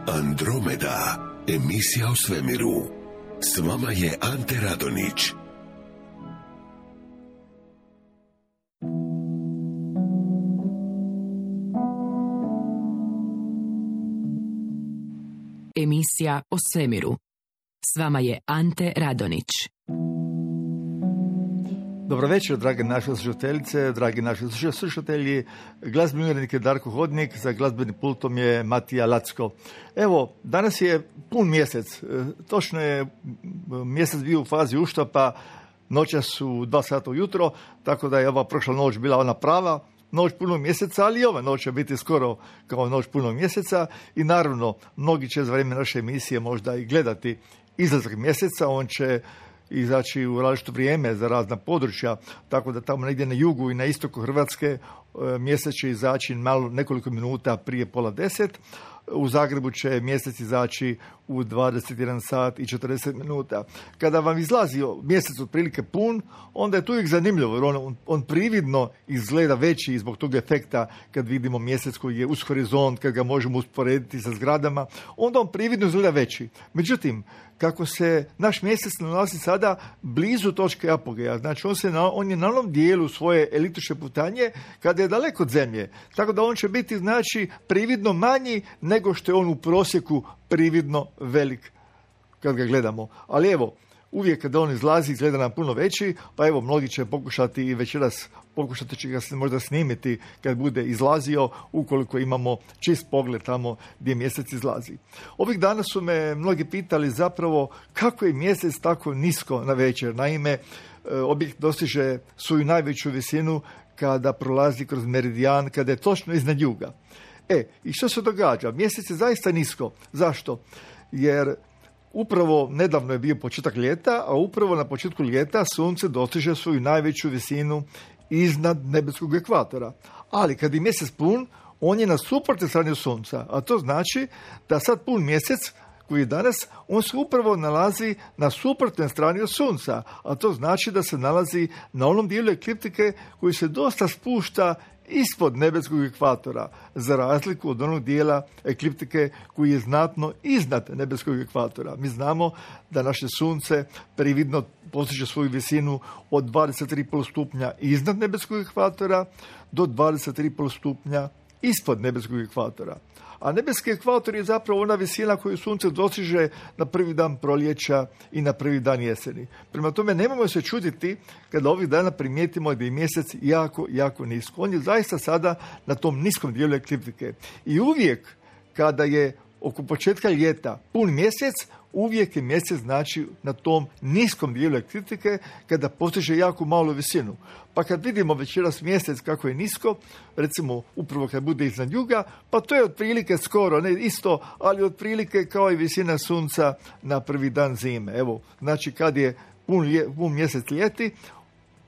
Andromeda, emisija o svemiru. S vama je Ante Radonić. Emisija o svemiru. S vama je Ante Radonić. Dobro večer, drage naše slušateljice, dragi naši slušatelji. Glazbeni urednik je Darko Hodnik, za glazbenim pultom je Matija Lacko. Evo, danas je pun mjesec. Točno je mjesec bio u fazi uštapa, noćas su 2 sata ujutro, tako da je ova prošla noć bila ona prava noć punog mjeseca, ali i ova noć će biti skoro kao noć punog mjeseca i naravno, mnogi će za vrijeme naše emisije možda i gledati izlazak mjeseca, on će izaći u različito vrijeme za razna područja, tako da tamo negdje na jugu i na istoku Hrvatske mjesec će izaći malo nekoliko minuta prije 9:30. U Zagrebu će mjesec izaći u 21 sat i 40 minuta. Kada vam izlazi mjesec otprilike pun, onda je to uvijek zanimljivo, jer on prividno izgleda veći zbog tog efekta kad vidimo mjesec koji je uz horizont, kad ga možemo usporediti sa zgradama, onda on prividno izgleda veći. Međutim, kako se naš mjesec nalazi sada blizu točke apogeja, znači on je na onom dijelu svoje eliptične putanje kada je daleko od Zemlje, tako da on će biti znači prividno manji nego što je on u prosjeku prividno velik kad ga gledamo. Ali evo, uvijek kada on izlazi izgleda nam puno veći, pa evo mnogi će pokušati i večeras pokušati će ga se možda snimiti kad bude izlazio, ukoliko imamo čist pogled tamo gdje mjesec izlazi. Ovih dana su me mnogi pitali zapravo kako je mjesec tako nisko na večer. Naime, objekt dostiže svoju najveću visinu kada prolazi kroz meridijan, kada je točno iznad juga. I što se događa? Mjesec je zaista nisko. Zašto? Jer upravo nedavno je bio početak ljeta, a upravo na početku ljeta sunce dostiže svoju najveću visinu iznad nebeskog ekvatora. Ali kad je mjesec pun, on je na suprotnoj strani od sunca, a to znači da sad pun mjesec koji je danas, on se upravo nalazi na suprotnoj strani od sunca, a to znači da se nalazi na onom dijelu ekliptike koji se dosta spušta ispod nebeskog ekvatora, za razliku od onog dijela ekliptike koji je znatno iznad nebeskog ekvatora. Mi znamo da naše sunce prividno postiže svoju visinu od 23,5 stupnja iznad nebeskog ekvatora do 23,5 stupnja ispod nebeskog ekvatora. A nebeski ekvator je zapravo ona visina koju sunce dostiže na prvi dan proljeća i na prvi dan jeseni. Prema tome, nemojmo se čuditi kada ovih dana primijetimo da je mjesec jako, jako nisko. On je zaista sada na tom niskom dijelu ekliptike. I uvijek kada je oko početka ljeta pun mjesec, uvijek je mjesec znači na tom niskom dijelu ekliptike kada postiže jako malu visinu. Pa kad vidimo večeras mjesec kako je nisko, recimo upravo kad bude iznad juga, pa to je otprilike skoro, ne isto, ali otprilike kao i visina sunca na prvi dan zime. Evo, znači kad je pun mjesec ljeti,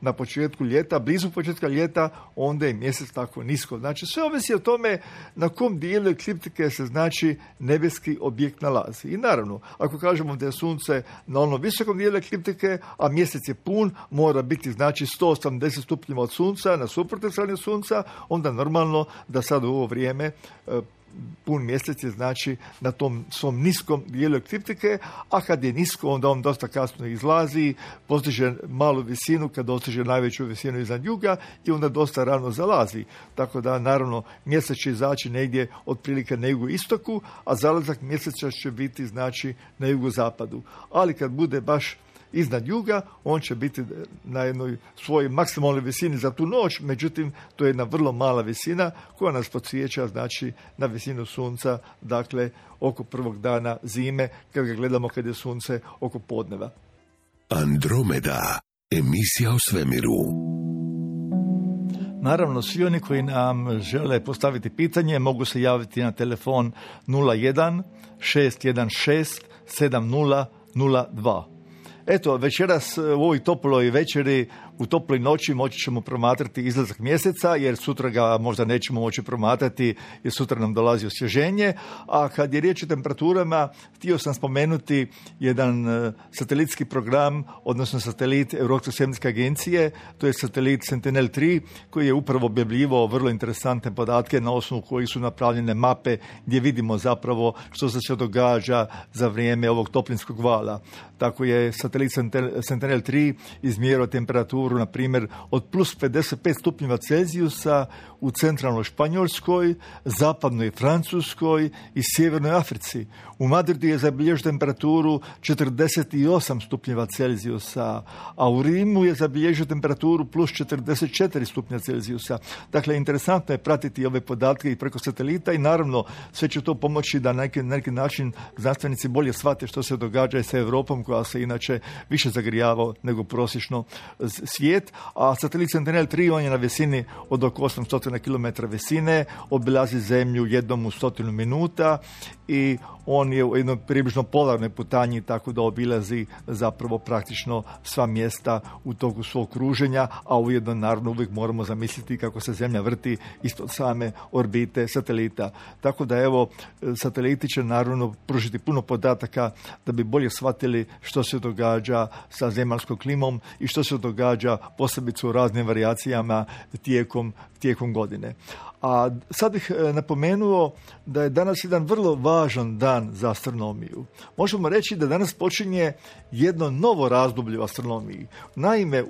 na početku ljeta, blizu početka ljeta, onda je mjesec tako nisko. Znači, sve ovisi o tome na kom dijelu ekliptike se znači nebeski objekt nalazi. I naravno, ako kažemo da je sunce na onom visokom dijelu ekliptike, a mjesec je pun, mora biti znači 180 stupnjeva od sunca, na suprotnoj strani od sunca, onda normalno da sad u ovo vrijeme pun mjesec je znači na tom svom niskom dijelu ekliptike, a kad je nisko, onda on dosta kasno izlazi, postiže malu visinu, kad dostiže najveću visinu iznad juga i onda dosta rano zalazi. Tako da, naravno, mjesec će izaći negdje otprilike na jugoistoku, a zalazak mjeseca će biti znači na jugozapadu. Ali kad bude baš iznad juga, on će biti na jednoj svojoj maksimalnoj visini za tu noć, međutim, to je jedna vrlo mala visina koja nas podsjeća, znači, na visinu sunca, dakle, oko prvog dana zime, kad ga gledamo kad je sunce oko podneva. Andromeda, emisija o svemiru. Naravno, svi oni koji nam žele postaviti pitanje mogu se javiti na telefon 01 616 7002. Eto, večeras u ovoj toploj večeri U toploj noći moći ćemo promatrati izlazak mjeseca, jer sutra ga možda nećemo moći promatrati, jer sutra nam dolazi osvježenje. A kad je riječ o temperaturama, htio sam spomenuti jedan satelitski program, odnosno satelit Europske svemirske agencije, to je satelit Sentinel-3, koji je upravo objavljivao vrlo interesantne podatke na osnovu kojih su napravljene mape gdje vidimo zapravo što se događa za vrijeme ovog toplinskog vala. Tako je satelit Sentinel-3 izmjerao temperaturu, na primjer, od plus 55 stupnjeva Celzijusa u centralnoj Španjolskoj, zapadnoj Francuskoj i sjevernoj Africi. U Madridu je zabilježio temperaturu 48 stupnjeva Celzijusa, a u Rimu je zabilježio temperaturu plus 44 stupnja Celzijusa. Dakle, interesantno je pratiti ove podatke i preko satelita i naravno sve će to pomoći da na neki način znanstvenici bolje shvate što se događa sa Europom, koja se inače više zagrijava nego prosječno svijet. A satelit Sentinel-3, on je na visini od oko 800 km visine, obilazi zemlju jednom u 100 minuta i on je u jednoj približno polarnoj putanji, tako da obilazi zapravo praktično sva mjesta u toku svog kruženja, a ujedno naravno uvijek moramo zamisliti kako se zemlja vrti ispod same orbite satelita. Tako da evo, sateliti će naravno pružiti puno podataka da bi bolje shvatili što se događa sa zemaljskom klimom i što se događa posebice u raznim varijacijama tijekom godine. A sad bih napomenuo da je danas jedan vrlo važan dan za astronomiju. Možemo reći da danas počinje jedno novo razdoblje u astronomiji. Naime,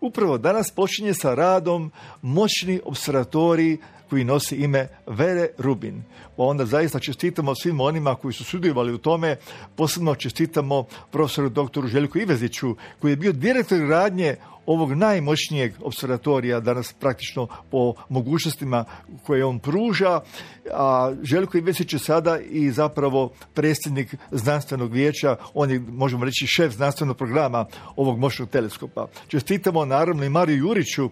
upravo danas počinje sa radom moćni observatorij koji nosi ime Vere Rubin. Pa onda zaista čestitamo svim onima koji su sudjelovali u tome, posebno čestitamo profesoru doktoru Željku Iveziću, koji je bio direktor radnje ovog najmoćnijeg observatorija danas praktično po mogućnostima koje on pruža, a Željko Ivezić je sada i zapravo predsjednik znanstvenog vijeća, on je, možemo reći, šef znanstvenog programa ovog moćnog teleskopa. Čestitamo naravno i Mariju Juriću,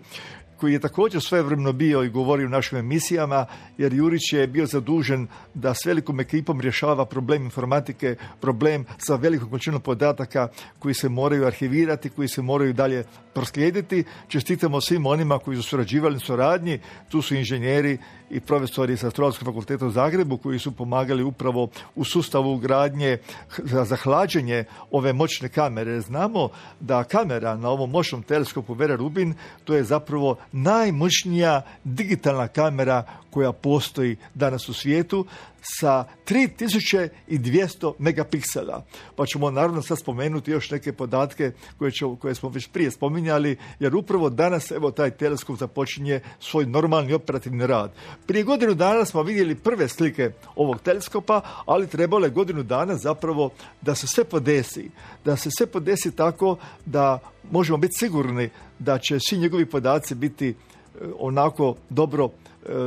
koji je također svojevremeno bio i govorio u našim emisijama, jer Jurić je bio zadužen da s velikom ekipom rješava problem informatike, problem sa velikom količinom podataka koji se moraju arhivirati, koji se moraju dalje proslijediti. Čestitamo svim onima koji su surađivali u suradnji, tu su inženjeri i profesori sa Astronomskog fakulteta u Zagrebu koji su pomagali upravo u sustavu ugradnje za hlađenje ove moćne kamere. Znamo da kamera na ovom moćnom teleskopu Vera Rubin, to je zapravo najmoćnija digitalna kamera koja postoji danas u svijetu sa 3200 megapiksela. Pa ćemo naravno sad spomenuti još neke podatke koje smo već prije spominjali, jer upravo danas evo taj teleskop započinje svoj normalni operativni rad. Prije godinu dana smo vidjeli prve slike ovog teleskopa, ali trebalo je godinu dana zapravo da se sve podesi. Da se sve podesi tako da možemo biti sigurni da će svi njegovi podaci biti onako dobro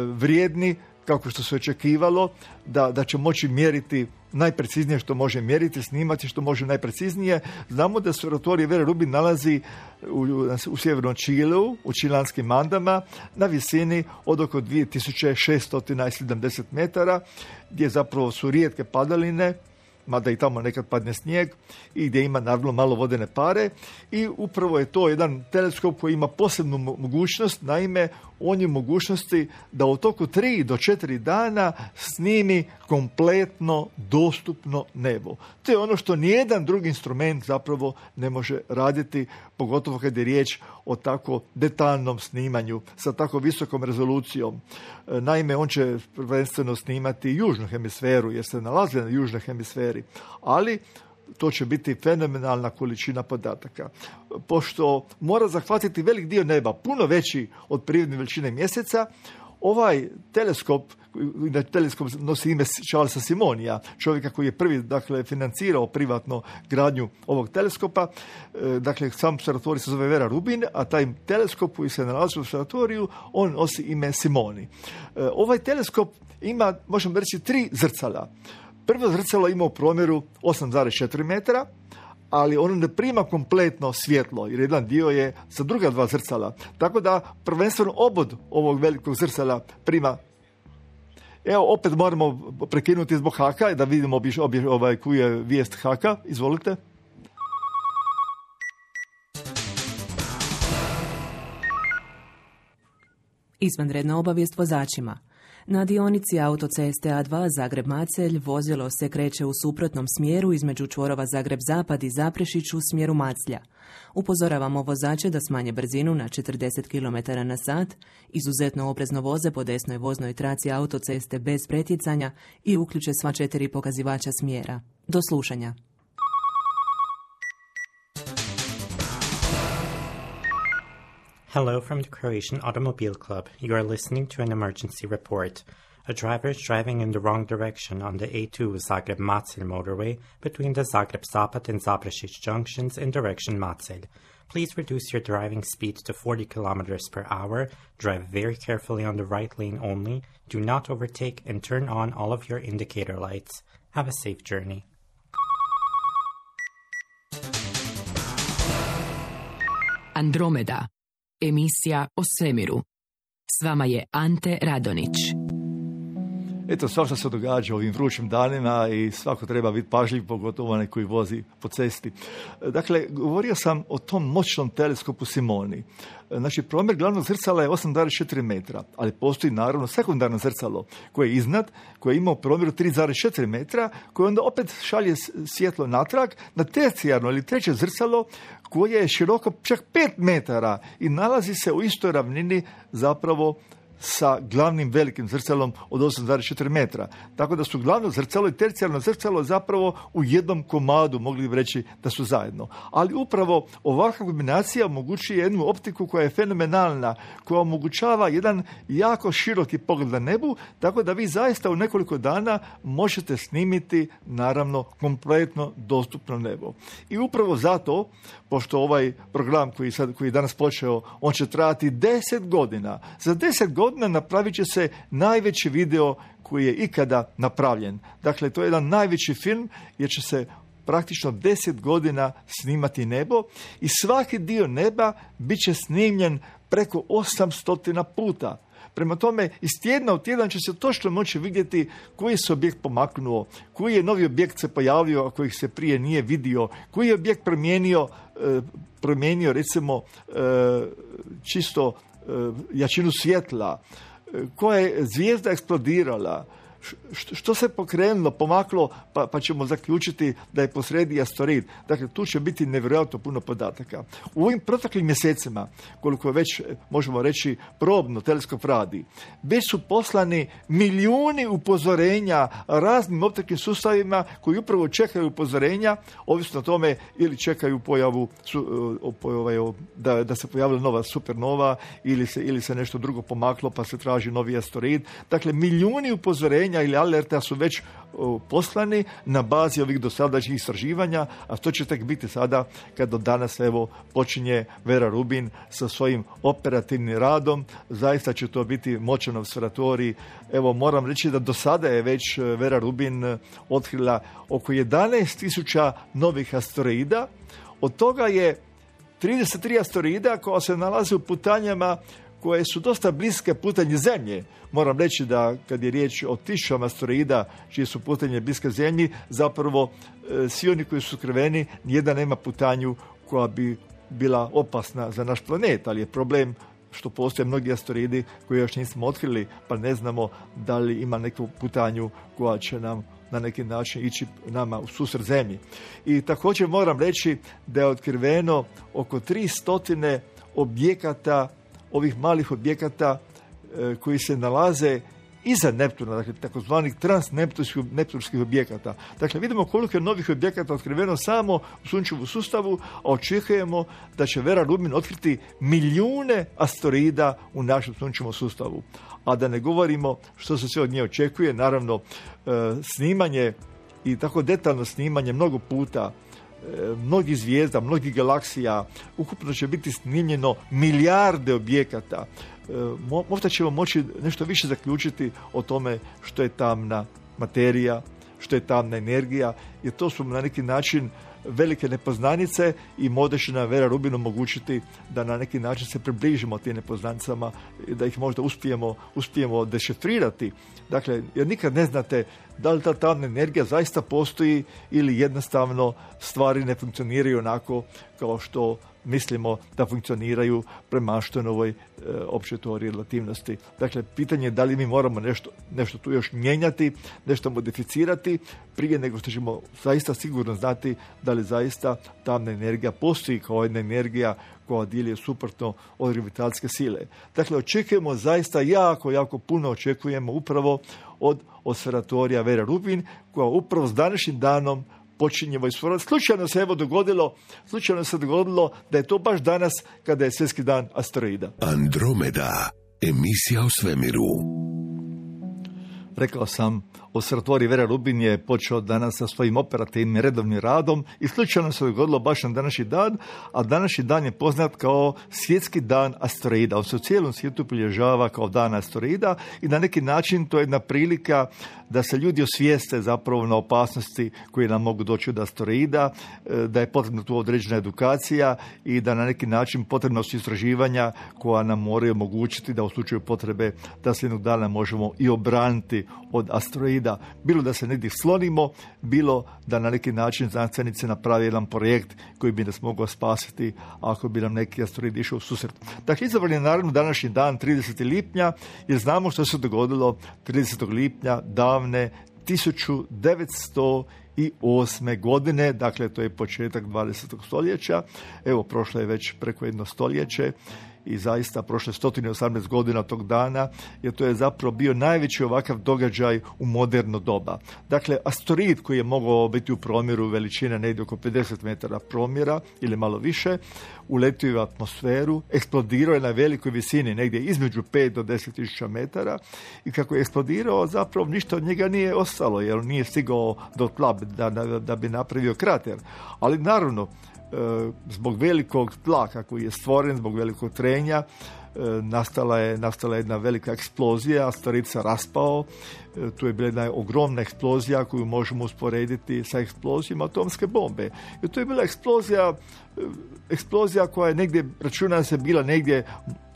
vrijedni kako što se očekivalo, da će moći mjeriti najpreciznije što može mjeriti, snimati što može najpreciznije. Znamo da se observatorij Vera Rubin nalazi u sjevernom Čileu, u čilanskim Andama, na visini od oko 2670 metara, gdje zapravo su rijetke padaline, mada i tamo nekad padne snijeg, i gdje ima naravno malo vodene pare, i upravo je to jedan teleskop koji ima posebnu mogućnost. Naime, on je mogućnosti da u toku 3 do 4 dana snimi kompletno dostupno nebo. To je ono što nijedan drugi instrument zapravo ne može raditi, pogotovo kad je riječ o tako detaljnom snimanju sa tako visokom rezolucijom. Naime, on će prvenstveno snimati južnu hemisferu, jer se nalazi na južnoj hemisferi, ali to će biti fenomenalna količina podataka. Pošto mora zahvatiti velik dio neba, puno veći od prirodne veličine mjeseca, ovaj teleskop nosi ime Charlesa Simonija, čovjeka koji je prvi, financirao privatno gradnju ovog teleskopa. Sam observatorij se zove Vera Rubin, a taj teleskop koji se nalazi u observatoriju, on nosi ime Simoni. Ovaj teleskop ima, možemo reći, 3 zrcala. Prvo zrcalo ima u promjeru 8,4 metra, ali ono ne prima kompletno svjetlo, jer jedan dio je sa druga 2 zrcala. Tako da prvenstveno obod ovog velikog zrcala prima. Evo, opet moramo prekinuti zbog haka da vidimo koju je vijest haka. Izvolite. Izvanredna obavijest vozačima. Na dionici autoceste A2 Zagreb-Macelj vozilo se kreće u suprotnom smjeru između čvorova Zagreb-Zapad i Zaprešić u smjeru Maclja. Upozoravamo vozače da smanje brzinu na 40 km/h, izuzetno oprezno voze po desnoj voznoj traci autoceste bez pretjecanja i uključe sva 4 pokazivača smjera. Do slušanja. Hello from the Croatian Automobile Club. You are listening to an emergency report. A driver is driving in the wrong direction on the A2 Zagreb-Macelj motorway between the Zagreb-Zapad and Zaprešić junctions in direction Macelj. Please reduce your driving speed to 40 km per hour, drive very carefully on the right lane only, do not overtake, and turn on all of your indicator lights. Have a safe journey. Andromeda. Emisija o svemiru. S vama je Ante Radonić. Eto, svašta se događa ovim vrućim danima i svako treba biti pažljiv, pogotovo onaj koji vozi po cesti. Dakle, govorio sam o tom moćnom teleskopu Simoni. Znači, promjer glavnog zrcala je 8,4 metra, ali postoji naravno sekundarno zrcalo koje je iznad, koje ima u promjeru 3,4 metra, koje onda opet šalje svjetlo natrag na tercijarno ili treće zrcalo koje je široko čak 5 metara i nalazi se u istoj ravnini zapravo sa glavnim velikim zrcalom od 8,4 metra. Tako da su glavno zrcalo i tercijarno zrcalo zapravo u jednom komadu, mogli bi reći da su zajedno. Ali upravo ovakva kombinacija omogućuje jednu optiku koja je fenomenalna, koja omogućava jedan jako široki pogled na nebu, tako da vi zaista u nekoliko dana možete snimiti, naravno, kompletno dostupno nebo. I upravo zato, pošto ovaj program koji je danas počeo, on će trajati 10 godina. Za 10 godina napravit će se najveći video koji je ikada napravljen. Dakle, to je jedan najveći film jer će se praktično 10 godina snimati nebo i svaki dio neba bit će snimljen preko 800 puta. Prema tome, iz tjedna u tjedan će se točno moći vidjeti koji se objekt pomaknuo, koji je novi objekt se pojavio, a kojih se prije nije vidio, koji je objekt promijenio recimo čisto jačinu svjetla, koja je zvijezda eksplodirala, što se pokrenulo, pomaklo, pa ćemo zaključiti da je posredi asteroid. Dakle, tu će biti nevjerojatno puno podataka. U ovim proteklim mjesecima, koliko već možemo reći probno teleskop radi, već su poslani milijuni upozorenja raznim optičkim sustavima koji upravo čekaju upozorenja, ovisno o tome ili čekaju pojavu da se pojavila nova supernova ili se nešto drugo pomaklo pa se traži novi asteroid. Dakle, milijuni upozorenja ili alerta su već poslani na bazi ovih dosadašnjih istraživanja, a to će tek biti sada kad do danas počinje Vera Rubin sa svojim operativnim radom. Zaista će to biti moćan observatorij. Moram reći da do sada je već Vera Rubin otkrila oko 11.000 novih asteroida. Od toga je 33 asteroida koja se nalaze u putanjama koje su dosta bliske putanji Zemlje. Moram reći da kad je riječ o 1000 asteroida čije su putanje bliske Zemlji, zapravo svi oni koji su skriveni, nijedan nema putanju koja bi bila opasna za naš planet, ali je problem što postoje mnogi asteroidi koje još nismo otkrili, pa ne znamo da li ima neku putanju koja će nam na neki način ići nama u susret Zemlji. I također moram reći da je otkriveno oko 300 objekata, ovih malih objekata koji se nalaze iza Neptuna, dakle takozvanih transneptunskih objekata. Dakle, vidimo koliko je novih objekata otkriveno samo u sunčevom sustavu, a očekujemo da će Vera Rubin otkriti milijune asteroida u našem sunčevom sustavu. A da ne govorimo što se sve od nje očekuje, naravno snimanje i tako detaljno snimanje mnogo puta, mnogih zvijezda, mnogih galaksija, ukupno će biti snimljeno milijarde objekata. Možda ćemo moći nešto više zaključiti o tome što je tamna materija, što je tamna energija, jer to su na neki način velike nepoznanice i možda će nam Vera Rubin omogućiti da na neki način se približimo tim nepoznanicama i da ih možda uspijemo dešifrirati. Dakle, jer nikad ne znate da li ta tamna energija zaista postoji ili jednostavno stvari ne funkcioniraju onako kao što mislimo da funkcioniraju prema Einsteinovoj općoj teoriji relativnosti. Dakle, pitanje je da li mi moramo nešto tu još mijenjati, nešto modificirati prije nego što ćemo zaista sigurno znati da li zaista tamna energija postoji kao jedna energija koja djeluje suprotno od gravitacijske sile. Dakle, očekujemo zaista jako puno očekujemo upravo od observatorija Vera Rubin, koja upravo s današnjim danom počinje vojsvorati. Slučajno se dogodilo da je to baš danas kada je svjetski dan asteroida. Andromeda, emisija o svemiru. Rekao sam, observatorij Vera Rubin je počeo danas sa svojim operativnim redovnim radom i slučajno se dogodilo baš na današnji dan, a današnji dan je poznat kao svjetski dan asteroida. On se u cijelom svijetu obilježava kao dan asteroida i na neki način to je jedna prilika da se ljudi osvijeste zapravo na opasnosti koje nam mogu doći od asteroida, da je potrebna tu određena edukacija i da na neki način potrebna su istraživanja koja nam moraju omogućiti da u slučaju potrebe da se jednog dana možemo i obraniti od asteroida. Bilo da se negdje slonimo, bilo da na neki način znanstvenici naprave jedan projekt koji bi nas mogao spasiti ako bi nam neki asteroid išao u susret. Dakle, izabran je naravno današnji dan 30. lipnja jer znamo što se dogodilo 30. lipnja davne 1908. godine, dakle to je početak 20. stoljeća. Evo, prošlo je već preko jedno stoljeće i zaista prošle 118 godina tog dana, jer to je zapravo bio najveći ovakav događaj u moderno doba. Dakle, asteroid koji je mogao biti u promjeru veličine negdje oko 50 metara promjera ili malo više, uletio je u atmosferu, eksplodirao je na velikoj visini, negdje između 5 do 10 tisuća metara i kako je eksplodirao, zapravo ništa od njega nije ostalo, jer nije stigao do tla da bi napravio krater. Ali naravno, zbog velikog tlaka koji je stvoren, zbog velikog trenja, nastala je jedna velika eksplozija, asteroid se raspao, tu je bila jedna ogromna eksplozija koju možemo usporediti sa eksplozijama atomske bombe. I to je bila eksplozija koja je negdje, računa se, bila negdje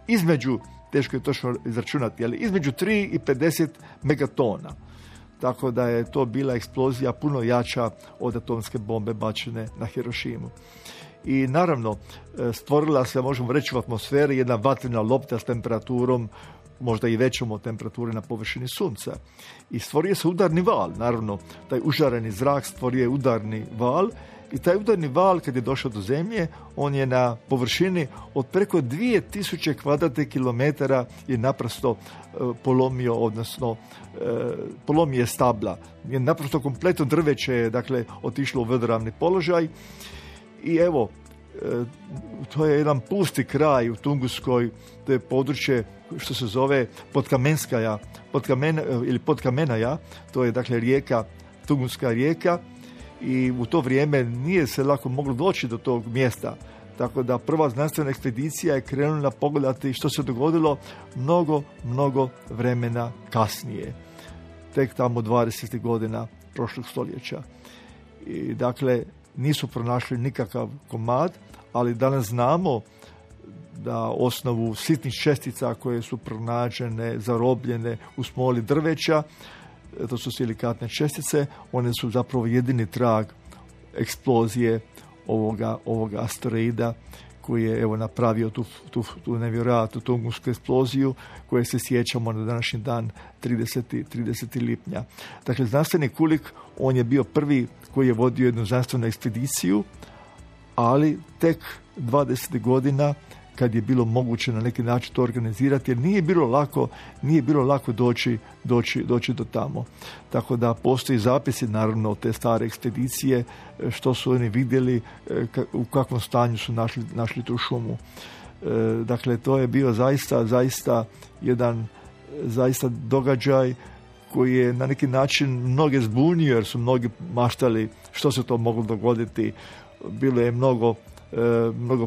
između, teško je točno izračunati, ali između 3 i 50 megatona. Tako da je to bila eksplozija puno jača od atomske bombe bačene na Hirošimu. I naravno, stvorila se, možemo reći, u atmosferi jedna vatrena lopta s temperaturom, možda i većom od temperature na površini Sunca. I stvorio se udarni val. Naravno, taj užareni zrak stvorio je udarni val i taj udarni val, kad je došao do Zemlje, on je na površini od preko 2000 kvadratnih kilometara je naprosto polomio, odnosno polomio je stabla. Je naprosto kompletno drveće je, dakle, otišlo u vodoravni položaj i evo, to je jedan pusti kraj u Tunguskoj, to je područje što se zove Podkamenaja, to je dakle rijeka, Tunguska rijeka, i u to vrijeme nije se lako moglo doći do tog mjesta. Tako da prva znanstvena ekspedicija je krenula pogledati što se dogodilo mnogo vremena kasnije. Tek tamo 20. godina prošlog stoljeća. I dakle, nisu pronašli nikakav komad, ali danas znamo da osnovu sitnih čestica koje su pronađene, zarobljene u smoli drveća, to su silikatne čestice, one su zapravo jedini trag eksplozije ovoga asteroida koji je evo napravio tu nevjerojatnu tungusku eksploziju koje se sjećamo na današnji dan 30. lipnja. Dakle, znanstvenik Kulik, on je bio prvi koji je vodio jednu znanstvenu ekspediciju, ali tek 20 godina kad je bilo moguće na neki način to organizirati, jer nije bilo lako doći do tamo. Tako da postoji zapisi naravno te stare ekspedicije, što su oni vidjeli, u kakvom stanju su našli tu šumu. Dakle, to je bio zaista jedan događaj koji je na neki način mnoge zbunio, jer su mnogi maštali što se to moglo dogoditi. Bilo je mnogo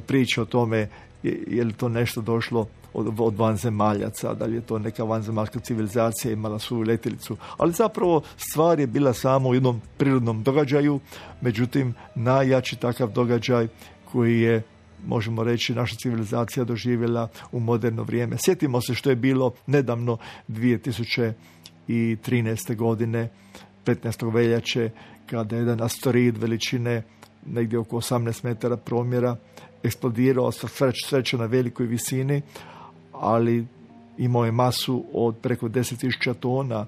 priča o tome je li to nešto došlo od vanzemaljaca, da li je to neka vanzemaljska civilizacija imala svoju letjelicu. Ali zapravo stvar je bila samo u jednom prirodnom događaju, međutim najjači takav događaj koji je, možemo reći, naša civilizacija doživjela u moderno vrijeme. Sjetimo se što je bilo nedavno 2013. godine, 15. veljače, kada je jedan asteroid veličine negdje oko 18 metara promjera, eksplodirao sreća na velikoj visini, ali imao je masu od preko 10.000 tona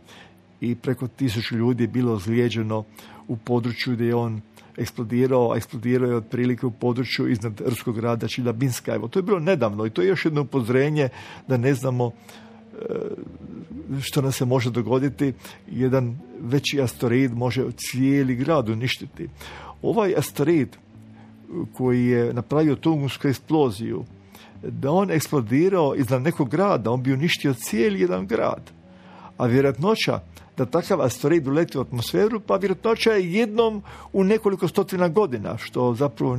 i preko 1000 ljudi je bilo ozlijeđeno u području gdje je on eksplodirao, a eksplodirao je otprilike u području iznad ruskog grada Čilabinska. Evo, to je bilo nedavno i to je još jedno upozorenje da ne znamo što nam se može dogoditi. Jedan veći asteroid može cijeli grad uništiti. Ovaj asteroid koji je napravio Tungunsku eksploziju, da on eksplodirao iznad nekog grada, on bi uništio cijeli jedan grad. A vjerojatnoća da takav asteroid uleti u atmosferu, pa vjerojatnoća je jednom u nekoliko stotina godina, što zapravo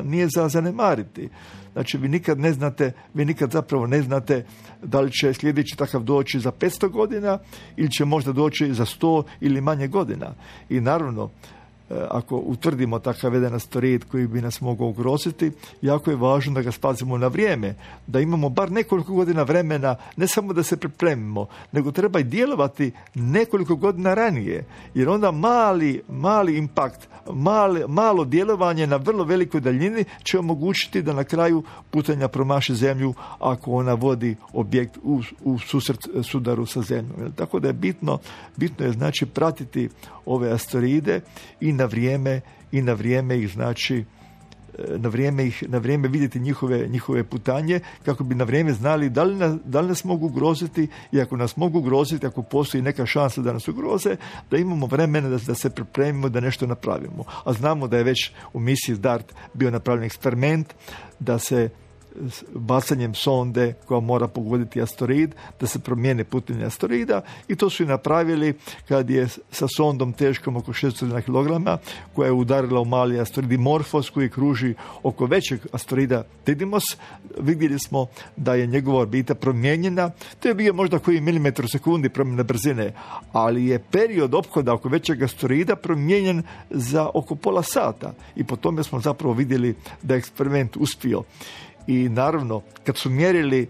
nije za zanemariti. Znači, vi nikad zapravo ne znate da li će sljedeći takav doći za 500 godina ili će možda doći za 100 ili manje godina. I naravno, ako utvrdimo takav jedan asteroid koji bi nas mogao ugroziti, jako je važno da ga spazimo na vrijeme, da imamo bar nekoliko godina vremena, ne samo da se pripremimo, nego treba i djelovati nekoliko godina ranije, jer onda mali impakt, malo djelovanje na vrlo velikoj daljini će omogućiti da na kraju putenja promaši zemlju ako ona vodi objekt u sudaru sa zemljom. Tako da je bitno je znači pratiti ove asteroide i na vrijeme ih znači na vrijeme vidjeti njihove putanje, kako bi na vrijeme znali da li nas mogu ugroziti, i ako nas mogu ugroziti, ako postoji neka šansa da nas ugroze, da imamo vremena da se pripremimo, da nešto napravimo. A znamo da je već u misiji DART bio napravljen eksperiment da se bacanjem sonde koja mora pogoditi asteroid, da se promijene putenje asteroida, i to su i napravili kad je sa sondom teškom oko 600 kg, koja je udarila u mali asteroid Dimorphos koji kruži oko većeg asteroida Didymos. Vidjeli smo da je njegova orbita promijenjena. To je bio možda koji milimetar u sekundi promjene brzine, ali je period ophoda oko većeg asteroida promijenjen za oko pola sata, i po tome smo zapravo vidjeli da je eksperiment uspio. I naravno, kad su mjerili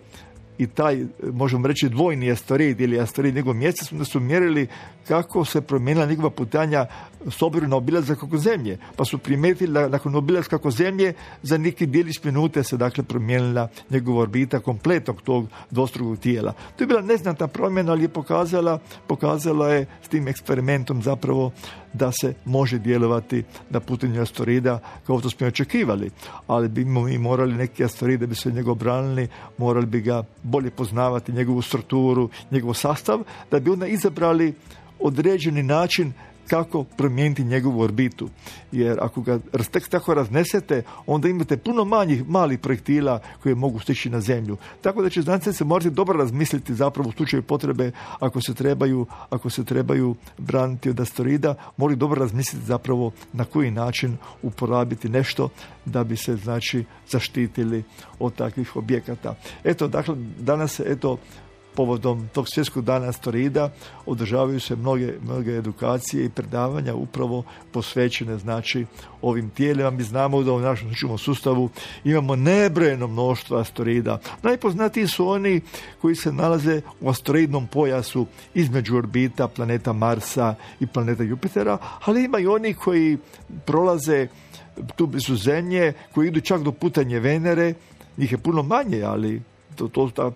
i taj, možemo reći, dvojni asteroid ili asteroid njegov mjesec, onda su mjerili kako se promijenila njegova putanja s obzirom na obilazak oko Zemlje. Pa su primijetili da nakon obilaska oko Zemlje za neki djelić minute se dakle promijenila njegova orbita kompletnog tog dvostrukog tijela. To je bila neznatna promjena, ali je pokazala je s tim eksperimentom zapravo da se može djelovati na putanju asteroida kao što smo očekivali. Ali bi mi morali neki asteroid da bi se od njega obranili, morali bi ga bolje poznavati, njegovu strukturu, njegov sastav, da bi onda izabrali određeni način kako promijeniti njegovu orbitu. Jer ako ga tek tako raznesete, onda imate puno malih projektila koje mogu stići na Zemlju. Tako da će znanstvenici morati dobro razmisliti zapravo u slučaju potrebe, ako se trebaju braniti od asteroida, moraju dobro razmisliti zapravo na koji način uporabiti nešto da bi se znači zaštitili od takvih objekata. Eto, dakle, danas povodom tog svjetskog dana asteroida održavaju se mnoge edukacije i predavanja upravo posvećene znači ovim tijelima. Mi znamo da u našem sunčevom sustavu imamo nebrojeno mnoštvo asteroida. Najpoznatiji su oni koji se nalaze u asteroidnom pojasu između orbita planeta Marsa i planeta Jupitera, ali ima i oni koji prolaze tu blizu Zemlje, koji idu čak do putanje Venere. Njih je puno manje, ali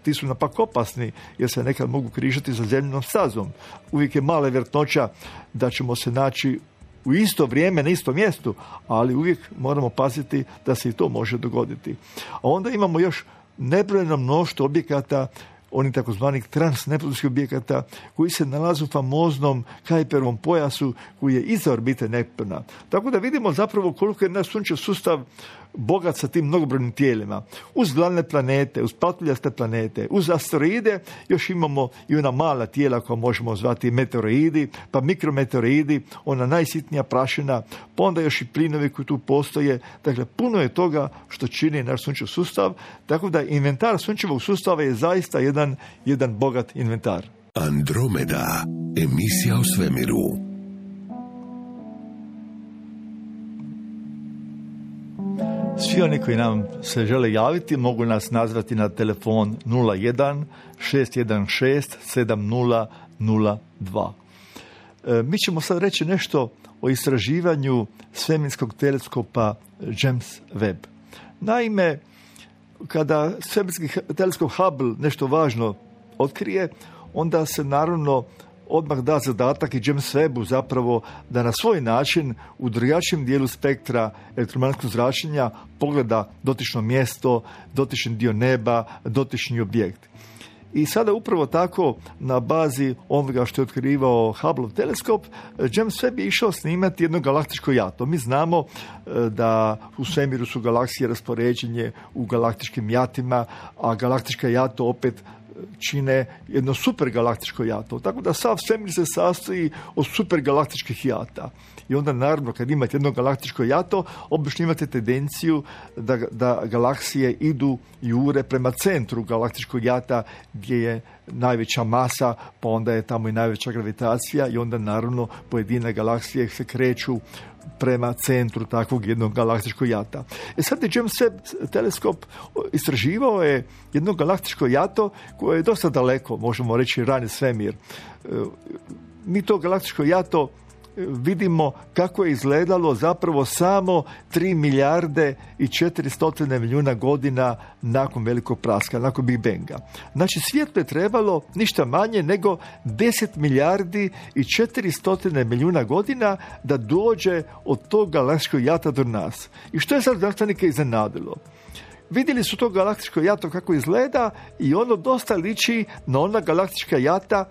ti su napak opasni, jer se nekad mogu križati sa zemljinom stazom. Uvijek je mala vjerojatnoća da ćemo se naći u isto vrijeme na istom mjestu, ali uvijek moramo paziti da se i to može dogoditi. A onda imamo još nebrojeno mnoštvo objekata, onih takozvanih transneptunskih objekata, koji se nalaze u famoznom Kuiperovom pojasu koji je iza orbite Neptuna. Tako da vidimo zapravo koliko je naš sunčev sustav bogat sa tim mnogobrojnim tijelima. Uz glavne planete, uz patuljaste planete, uz asteroide još imamo i ona mala tijela koja možemo zvati meteoroidi, pa mikrometeoroidi, ona najsitnija prašina, pa onda još i plinovi koji tu postoje. Dakle, puno je toga što čini naš sunčev sustav, tako da inventar sunčevog sustava je zaista jedan bogat inventar. Andromeda, emisija o svemiru. Svi oni koji nam se žele javiti mogu nas nazvati na telefon 01 616 7002. Mi ćemo sad reći nešto o istraživanju svemirskog teleskopa James Webb. Naime, kada svemirski teleskop Hubble nešto važno otkrije, onda se naravno odmah da zadatak i James Webbu zapravo da na svoj način u drugačijem dijelu spektra elektromagnetskog zračenja pogleda dotično mjesto, dotični dio neba, dotični objekt. I sada upravo tako na bazi onoga što je otkrivao Hubble teleskop, James Webb je išao snimati jedno galaktičko jato. Mi znamo da u svemiru su galaksije raspoređenje u galaktičkim jatima, a galaktička jato opet čine jedno supergalaktičko jato. Tako da sav svemir se sastoji od supergalaktičkih jata. I onda naravno kad imate jedno galaktičko jato, obično imate tendenciju da galaksije idu i jure prema centru galaktičkog jata gdje je najveća masa, pa onda je tamo i najveća gravitacija i onda naravno pojedine galaksije se kreću prema centru takvog jednog galaktičkog jata. Sad je James Webb teleskop istraživao je jedno galaktičko jato koje je dosta daleko, možemo reći rani svemir. Mi to galaktičko jato vidimo kako je izgledalo zapravo samo 3 milijarde i 400 milijuna godina nakon velikog praska, nakon Big Banga. Znači svijetlo je trebalo ništa manje nego 10 milijardi i 400 milijuna godina da dođe od tog galaktičkog jata do nas. I što je sad znanstvenike iznenadilo? Vidjeli su to galaktičko jato kako izgleda i ono dosta liči na ona galaktička jata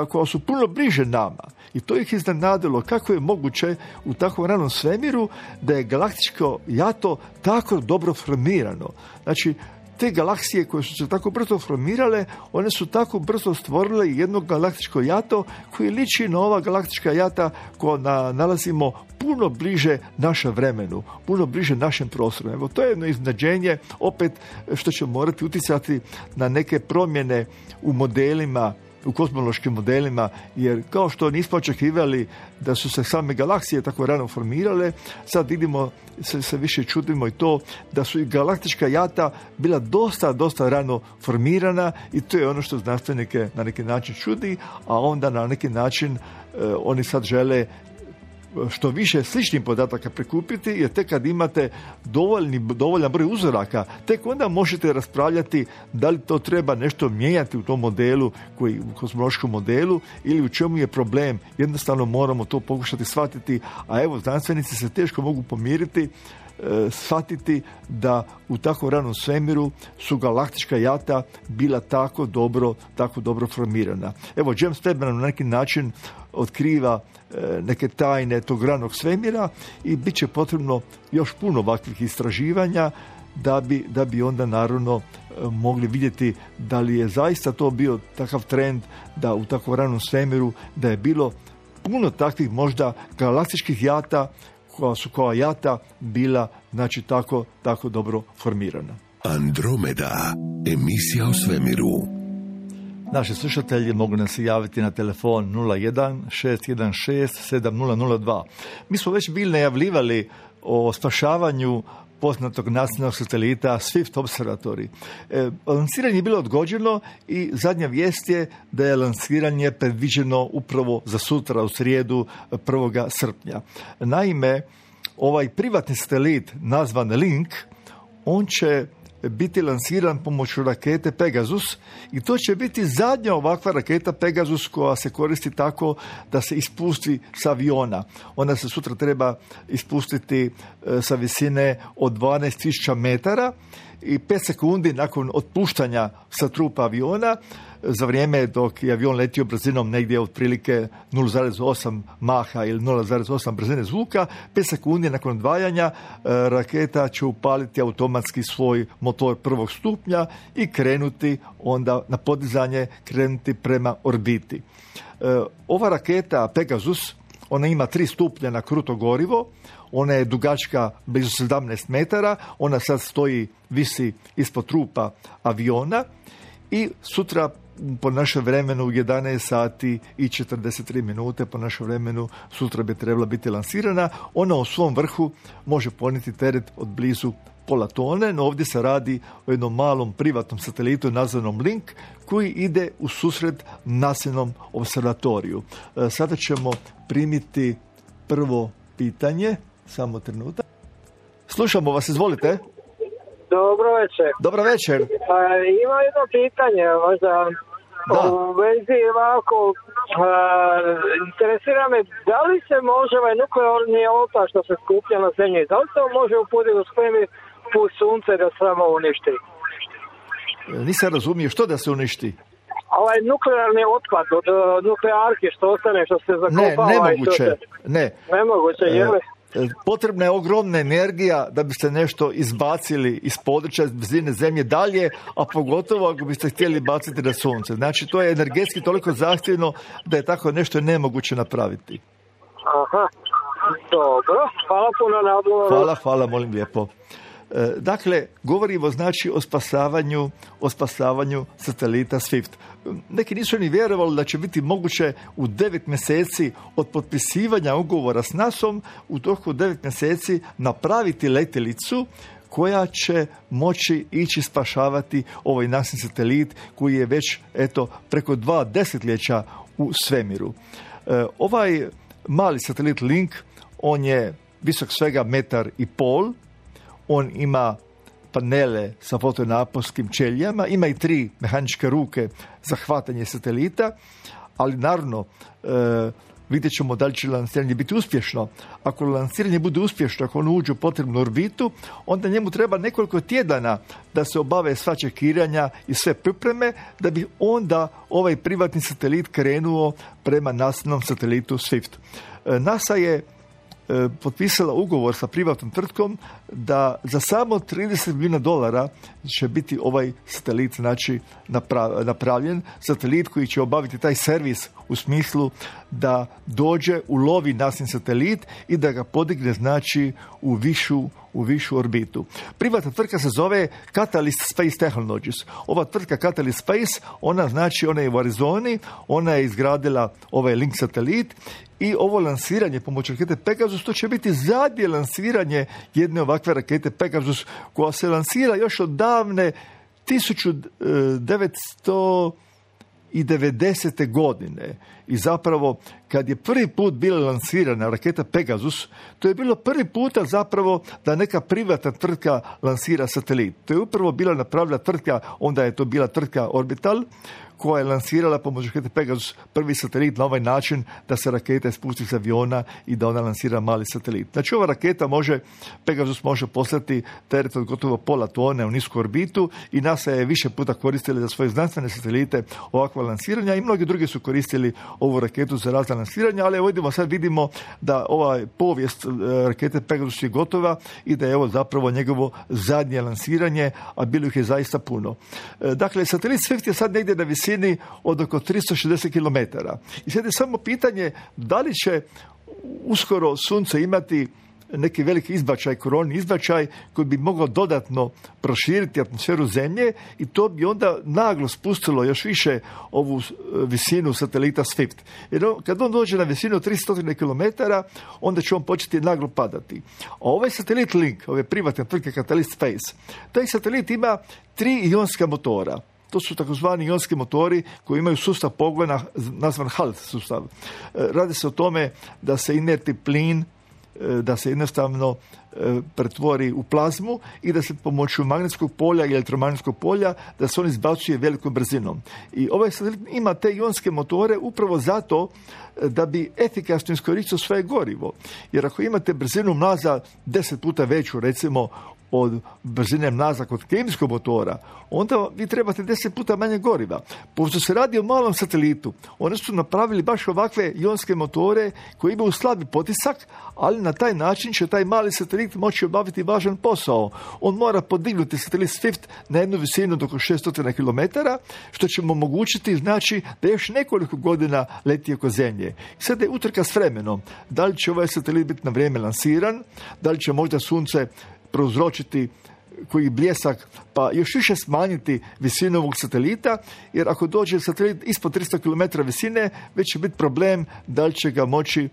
koja su puno bliže nama. I to ih iznenadilo kako je moguće u takvom ranom svemiru da je galaktičko jato tako dobro formirano. Znači, te galaksije koje su se tako brzo formirale, one su tako brzo stvorile jedno galaktičko jato koje liči na ova galaktička jata koja nalazimo puno bliže našem vremenu, puno bliže našem prostoru. Evo, to je jedno iznenađenje, opet što će morati utjecati na neke promjene u modelima, u kozmološkim modelima, jer kao što nismo očekivali da su se same galaksije tako rano formirale, sad vidimo, se više čudimo i to da su i galaktička jata bila dosta rano formirana i to je ono što znanstvenike na neki način čudi, a onda na neki način oni sad žele što više sličnih podataka prikupiti, jer tek kad imate dovoljan broj uzoraka, tek onda možete raspravljati da li to treba nešto mijenjati u tom modelu, u kozmološkom modelu, ili u čemu je problem. Jednostavno moramo to pokušati shvatiti, a evo, znanstvenici se teško mogu pomiriti, shvatiti da u tako ranom svemiru su galaktička jata bila tako dobro formirana. Evo, James Webb na neki način otkriva neke tajne tog ranog svemira i bit će potrebno još puno ovakvih istraživanja da bi onda naravno mogli vidjeti da li je zaista to bio takav trend da u tako ranom svemiru da je bilo puno takvih možda galaktičkih jata koja su kao jata bila, znači, tako dobro formirana. Andromeda, emisija o svemiru. Naši slušatelji mogu nas se javiti na telefon 01-616-7002. Mi smo već bili najavljivali o spašavanju poznatog nacionalnog satelita Swift Observatory. Lansiranje je bilo odgođeno i zadnja vijest je da je lansiranje predviđeno upravo za sutra, u srijedu 1. srpnja. Naime, ovaj privatni satelit nazvan Link, on će biti lansiran pomoću rakete Pegasus i to će biti zadnja ovakva raketa Pegasus koja se koristi tako da se ispusti sa aviona. Ona se sutra treba ispustiti sa visine od 12.000 metara i 5 sekundi nakon otpuštanja sa trupa aviona, za vrijeme dok je avion letio brzinom negdje otprilike 0,8 maha ili 0,8 brzine zvuka, 5 sekundi nakon odvajanja raketa će upaliti automatski svoj motor prvog stupnja i krenuti onda na podizanje, krenuti prema orbiti. Ova raketa Pegasus, ona ima 3 stupnja na kruto gorivo, ona je dugačka blizu 17 metara, ona sad visi ispod trupa aviona i sutra po našem vremenu 11 sati i 43 minute po našem vremenu sutra bi trebala biti lansirana. Ona u svom vrhu može ponijeti teret od blizu pola tone, no ovdje se radi o jednom malom privatnom satelitu nazvanom Link, koji ide u susret nacionalnom observatoriju. Sada ćemo primiti prvo pitanje. Samo trenutak. Slušamo vas, izvolite. Dobro večer. Dobro večer. Ima jedno pitanje, možda u vezi ovako, interesira me, da li se može ovaj nuklearni otpad što se skuplja na zemlji, da li se on može uputiti u svemir put sunce da samo uništi? Nisam razumio, što da se uništi? Ovaj nuklearni otpad od nuklearke što ostane, što se zakopava. Nemoguće. Nemoguće, je li? Potrebna je ogromna energija da biste nešto izbacili iz područja blizine zemlje dalje, a pogotovo ako biste htjeli baciti na sunce. Znači, to je energetski toliko zahtjevno da je tako nešto nemoguće napraviti. Aha, dobro. Hvala puno na odgovoru. Hvala, molim lijepo. Dakle, govorimo znači o spasavanju satelita Swift. Neki nisu ni vjerovali da će biti moguće u 9 mjeseci od potpisivanja ugovora s NASA-om u toku 9 mjeseci napraviti letjelicu koja će moći ići spašavati ovaj naš satelit koji je već preko 2 desetljeća u svemiru. Ovaj mali satelit Link, on je visok svega 1,5 m. On ima panele sa fotonaponskim ćelijama, ima i 3 mehaničke ruke za hvatanje satelita, ali naravno vidjet ćemo da li će lansiranje biti uspješno. Ako lansiranje bude uspješno, ako on uđe u potrebnu orbitu, onda njemu treba nekoliko tjedana da se obave sva čekiranja i sve pripreme, da bi onda ovaj privatni satelit krenuo prema nastavnom satelitu Swift. NASA je potpisala ugovor sa privatnom tvrtkom da za samo $30 milijuna će biti ovaj satelit napravljen. Satelit koji će obaviti taj servis u smislu da dođe, ulovi nasin satelit i da ga podigne u višu orbitu. Privatna tvrtka se zove Catalyst Space Technologies. Ova tvrtka Catalyst Space, ona je u Arizoni, ona je izgradila ovaj Link satelit i ovo lansiranje pomoću rakete Pegasus, to će biti zadnje lansiranje jedne ovakve rakete Pegasus koja se lansira još od davne 1990. godine. I zapravo, kad je prvi put bila lansirana raketa Pegasus, to je bilo prvi puta zapravo da neka privatna tvrtka lansira satelit. To je upravo bila napravila tvrtka, onda je to bila tvrtka Orbital, koja je lansirala pomoću rakete Pegasus prvi satelit na ovaj način da se raketa spusti s aviona i da ona lansira mali satelit. Znači, ova raketa Pegasus može poslati teret od gotovo pola tone u nisku orbitu i NASA je više puta koristili za svoje znanstvene satelite ovakva lansiranja i mnogi drugi su koristili ovu raketu za razna lansiranja, ali vidimo da ova povijest rakete Pegasus je gotova i da je ovo zapravo njegovo zadnje lansiranje, a bilo ih je zaista puno. Dakle, satelit Swift je sad negdje na visini od oko 360 km. I sad je samo pitanje da li će uskoro sunce imati neki veliki izbačaj, koronni izbačaj koji bi mogao dodatno proširiti atmosferu Zemlje i to bi onda naglo spustilo još više ovu visinu satelita Swift. Jer kad on dođe na visinu 300 km, onda će on početi naglo padati. A ovaj satelit Link, ove privatne tvrtke Catalyst Space, taj satelit ima 3 ionska motora. To su takozvani ionski motori koji imaju sustav pogona nazvan HALT sustav. Radi se o tome da se inertni plin da se jednostavno pretvori u plazmu i da se pomoću magnetskog polja i elektromagnetskog polja da se on izbacuje velikom brzinom. I ovaj satelit ima te ionske motore upravo zato da bi efikasno iskoristio svoje gorivo. Jer ako imate brzinu mlaza 10 puta veću, recimo, od brzine mlaza kod kemijskog motora, onda vi trebate 10 puta manje goriva. Pošto se radi o malom satelitu, oni su napravili baš ovakve ionske motore koji imaju slabi potisak, ali na taj način će taj mali satelit moći obaviti važan posao. On mora podignuti satelit Swift na jednu visinu do oko 600 km, što će mu omogućiti, znači, da još nekoliko godina leti oko Zemlje. Sada je utrka s vremenom. Da li će ovaj satelit biti na vrijeme lansiran, da li će možda sunce prouzročiti koji bljesak, pa još više smanjiti visinu ovog satelita, jer ako dođe satelit ispod 300 km visine, već će biti problem da li će ga moći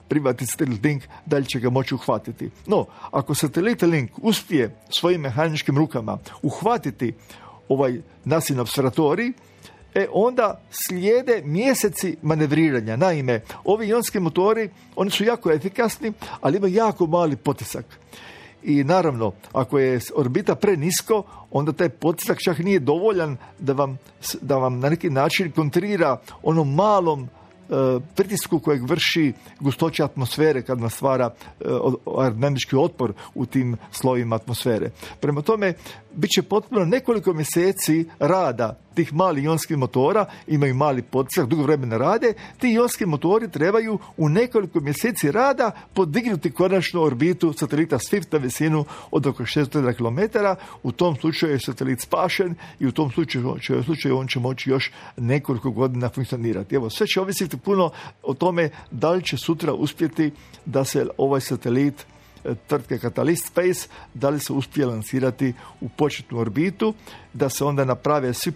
privatni satelit Link, da li će ga moći uhvatiti. No, ako satelit Link uspije svojim mehaničkim rukama uhvatiti nasin observatorij, onda slijede mjeseci manevriranja. Naime, ovi ionski motori, oni su jako efikasni, ali imaju jako mali potisak. I naravno, ako je orbita prenisko, onda taj potisak čak nije dovoljan da vam na neki način kontrira onom malom pritisku kojeg vrši gustoća atmosfere kad vam stvara aerodinamički otpor u tim slojima atmosfere. Prema tome, bit će potpuno nekoliko mjeseci rada tih malih ionskih motora, imaju mali potisak, dugo vremena rade, ti ionski motori trebaju u nekoliko mjeseci rada podignuti konačno orbitu satelita Swift na visinu od oko 600 km. U tom slučaju je satelit spašen i u tom slučaju on će moći još nekoliko godina funkcionirati. Evo, sve će ovisiti puno o tome da li će sutra uspjeti da se ovaj satelit tvrtke Catalyst Space, da li se uspije lansirati u početnu orbitu, da se onda naprave svi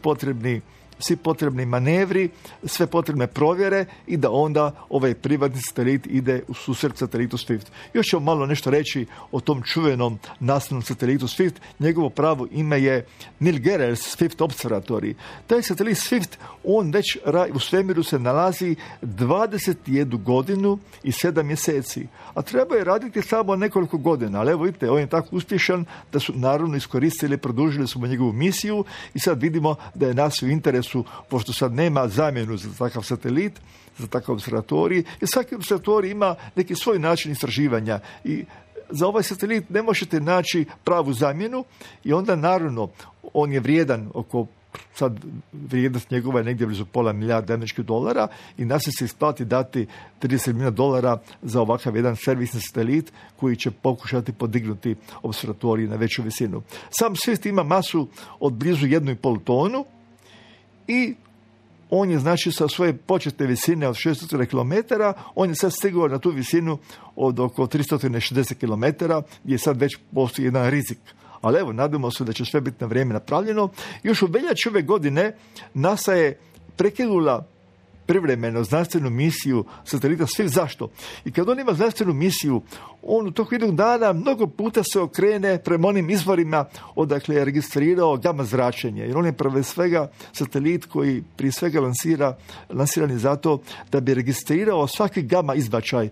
potrebni manevri, sve potrebne provjere i da onda ovaj privatni satelit ide u susret satelitu Swift. Još ćemo malo nešto reći o tom čuvenom nastavnom satelitu Swift. Njegovo pravo ime je Neil Gehrels Swift Observatory. Taj satelit Swift, on već u svemiru se nalazi 21 godinu i 7 mjeseci. A treba je raditi samo nekoliko godina. Ali evo vidite, on je tako uspješan da su naravno iskoristili, produžili smo njegovu misiju i sad vidimo da je nas u interesu, pošto sad nema zamjenu za takav satelit, za takav observatorij, jer svaki observatorij ima neki svoj način istraživanja i za ovaj satelit ne možete naći pravu zamjenu i onda naravno on je vrijedan oko, sad vrijednost njegova je negdje blizu $500 milijardi i nas se isplati dati $30 milijuna za ovakav jedan servisni satelit koji će pokušati podignuti observatorij na veću visinu. Sam Swift ima masu od blizu 1,5 tonu i on je znači sa svoje početne visine od 600 km, on je sad stigao na tu visinu od oko 360 km, gdje sad već postoji jedan rizik. Ali evo, nadamo se da će sve biti na vrijeme napravljeno. Još u veljači ove godine NASA je prekinula privremeno znanstvenu misiju satelita Swift. Zašto? I kad on ima znanstvenu misiju, on u toku jednog dana mnogo puta se okrene prema onim izvorima odakle je registrirao gama zračenje. Jer on je prve svega satelit koji prije svega lansiran je zato da bi registrirao svaki gama izbačaj,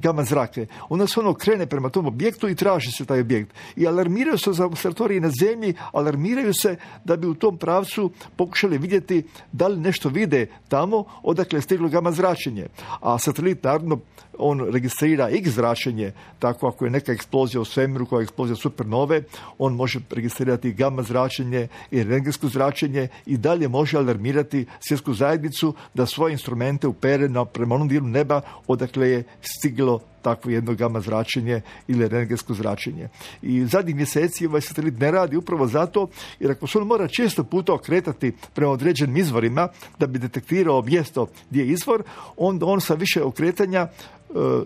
gama zrake. Onda se on okrene prema tom objektu i traži se taj objekt. I alarmiraju se za observatorije na zemlji, alarmiraju se da bi u tom pravcu pokušali vidjeti da li nešto vide tamo odakle je stiglo gama zračenje. A satelit naravno on registrira X zračenje, tako ako je neka eksplozija u svemiru, koja je eksplozija supernove, on može registrirati gama zračenje i rentgensko zračenje i dalje može alarmirati svjetsku zajednicu da svoje instrumente upere prema onom dijelu neba odakle je stiglo takvo jedno gama zračenje ili rentgensko zračenje. I zadnjih mjeseci ovaj satelit ne radi upravo zato, jer ako se on mora često puta okretati prema određenim izvorima da bi detektirao mjesto gdje je izvor, onda on sa više okretanja,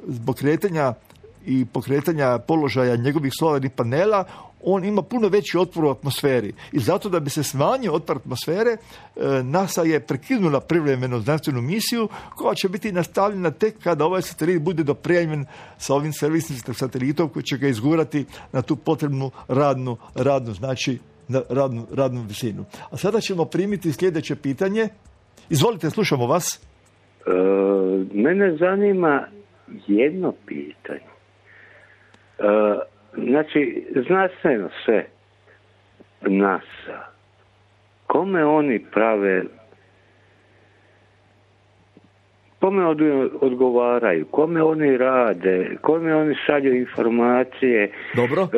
zbog kretanja i pokretanja položaja njegovih solarnih panela, on ima puno veći otpor u atmosferi. I zato da bi se smanjio otpor atmosfere, NASA je prekinula privremeno znanstvenu misiju koja će biti nastavljena tek kada ovaj satelit bude dopremljen sa ovim servisnim satelitom koji će ga izgurati na tu potrebnu radnu znači na radnu visinu. A sada ćemo primiti sljedeće pitanje. Izvolite, slušamo vas. Mene zanima jedno pitanje. Znači, znanstveno sve NASA, kome oni prave, kome odgovaraju, kome oni rade, kome oni šalju informacije. Dobro.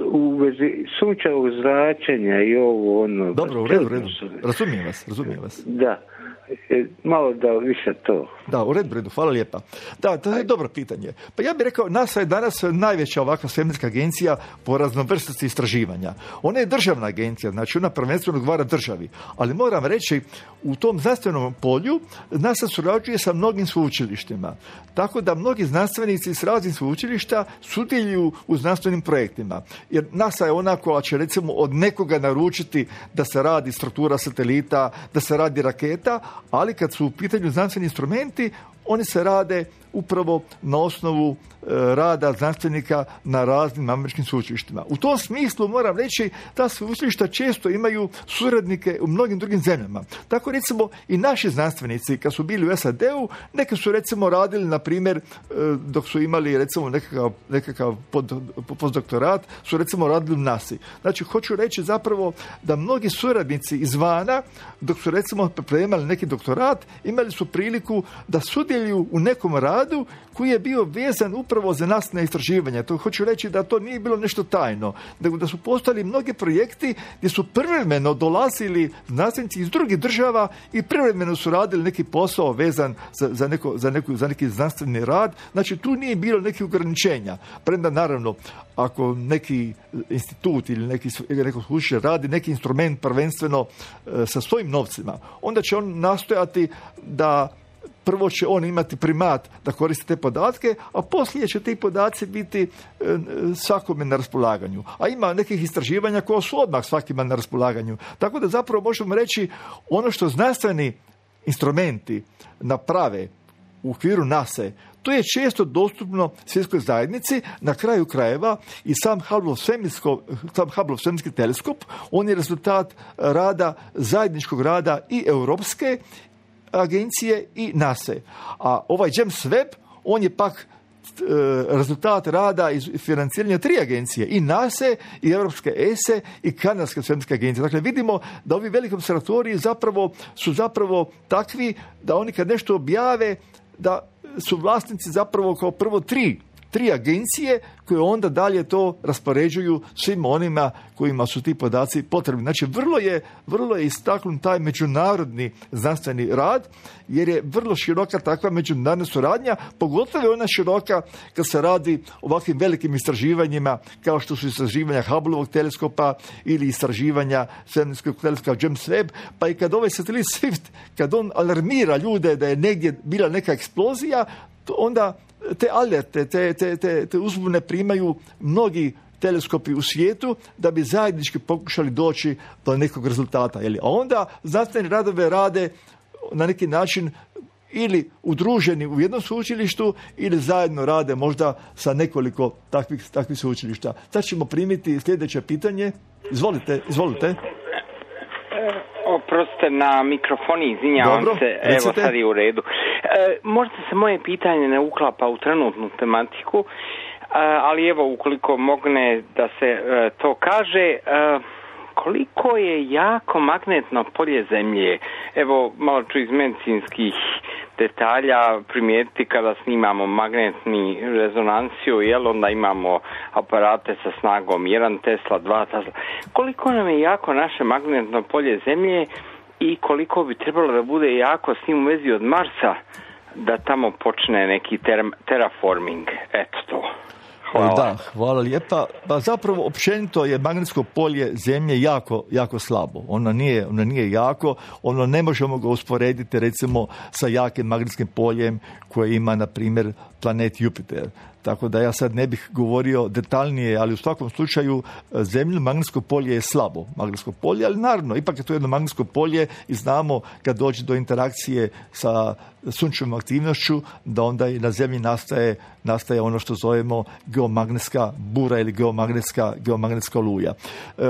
U vezi sunčevog zračenja i ovo ono. Dobro, u redu. Razumijem vas. Da. Malo da više to. Da, u redu, hvala lijepa. Da, to je dobro pitanje. Pa ja bih rekao, NASA je danas najveća ovakva svemirska agencija po raznovrsnosti istraživanja. Ona je državna agencija, znači ona prvenstveno odgovara državi. Ali moram reći, u tom znanstvenom polju NASA surađuje sa mnogim sveučilištima. Tako da mnogi znanstvenici s raznih sveučilišta sudjeluju u znanstvenim projektima. Jer NASA je ona koja će recimo od nekoga naručiti da se radi struktura satelita, da se radi raketa, ali kad su u pitanju znanstveni instrumenti, oni se rade upravo na osnovu rada znanstvenika na raznim američkim sveučilištima. U tom smislu moram reći, ta sveučilišta često imaju suradnike u mnogim drugim zemljama. Tako recimo i naši znanstvenici kad su bili u SAD-u, neki su recimo radili, na primjer, dok su imali recimo nekakav postdoktorat, su recimo radili u NASA. Znači, hoću reći zapravo da mnogi suradnici izvana, dok su recimo pripremali neki doktorat, imali su priliku da sudjeluju u nekom radu koji je bio vezan upravo za nastavna istraživanja. To hoću reći da to nije bilo nešto tajno, nego da su postojali mnogi projekti gdje su privremeno dolazili znanstvenici iz drugih država i privremeno su radili neki posao vezan za neki znanstveni rad. Znači, tu nije bilo nekih ograničenja. Premda, naravno, ako neki institut ili neko sveučilište radi neki instrument prvenstveno sa svojim novcima, onda će on nastojati da prvo će on imati primat da koristi te podatke, a poslije će ti podaci biti svakome na raspolaganju. A ima nekih istraživanja koja su odmah svakima na raspolaganju. Tako da zapravo možemo reći, ono što znanstveni instrumenti naprave u okviru NASA, to je često dostupno svjetskoj zajednici. Na kraju krajeva i sam Hubble svemirski teleskop, on je rezultat rada, zajedničkog rada i Europske agencije i NASA. A ovaj James Webb, on je pak rezultat rada i financiranja 3 agencije, i NASA, i Europske ESE, i Kanadske svemirske agencije. Dakle, vidimo da ovi veliki observatoriji su zapravo takvi da oni kad nešto objave, da su vlasnici zapravo kao prvo tri agencije koje onda dalje to raspoređuju svim onima kojima su ti podaci potrebni. Znači, vrlo je istaknut taj međunarodni znanstveni rad, jer je vrlo široka takva međunarodna suradnja, pogotovo je ona široka kad se radi o ovakvim velikim istraživanjima, kao što su istraživanja Hubbleovog teleskopa ili istraživanja svemirskog teleskopa James Webb, pa i kad ovaj satelit Swift, kad on alarmira ljude da je negdje bila neka eksplozija, onda te alerte, te uzbune primaju mnogi teleskopi u svijetu da bi zajednički pokušali doći do nekog rezultata. A onda znanstveni radove rade na neki način ili udruženi u jednom sveučilištu ili zajedno rade možda sa nekoliko takvih sveučilišta. Sad ćemo primiti sljedeće pitanje. Izvolite. Oprostite, na mikrofoni, izvinjavam se, evo sad je u redu. Možda se moje pitanje ne uklapa u trenutnu tematiku, ali evo, ukoliko mogne da se to kaže, koliko je jako magnetno polje Zemlje? Evo, malo ću iz medicinskih detalja primijetiti kada snimamo magnetni rezonanciju, onda imamo aparate sa snagom 1 Tesla, 2 Tesla. Koliko nam je jako naše magnetno polje Zemlje i koliko bi trebalo da bude jako s njim u vezi od Marsa, da tamo počne neki terraforming? Eto to. Hvala. Da, hvala lijepa. Pa zapravo općenito je magnetsko polje Zemlje jako slabo. Ono nije jako, ono ne možemo ga usporediti recimo sa jakim magnetskim poljem koje ima, na primjer, planet Jupiter. Tako da ja sad ne bih govorio detaljnije, ali u svakom slučaju Zemlje magnetsko polje je slabo magnetsko polje, ali naravno, ipak je to jedno magnetsko polje i znamo kad dođe do interakcije sa sunčevom aktivnošću, da onda i na Zemlji nastaje ono što zovemo geomagnetska bura ili geomagnetska oluja.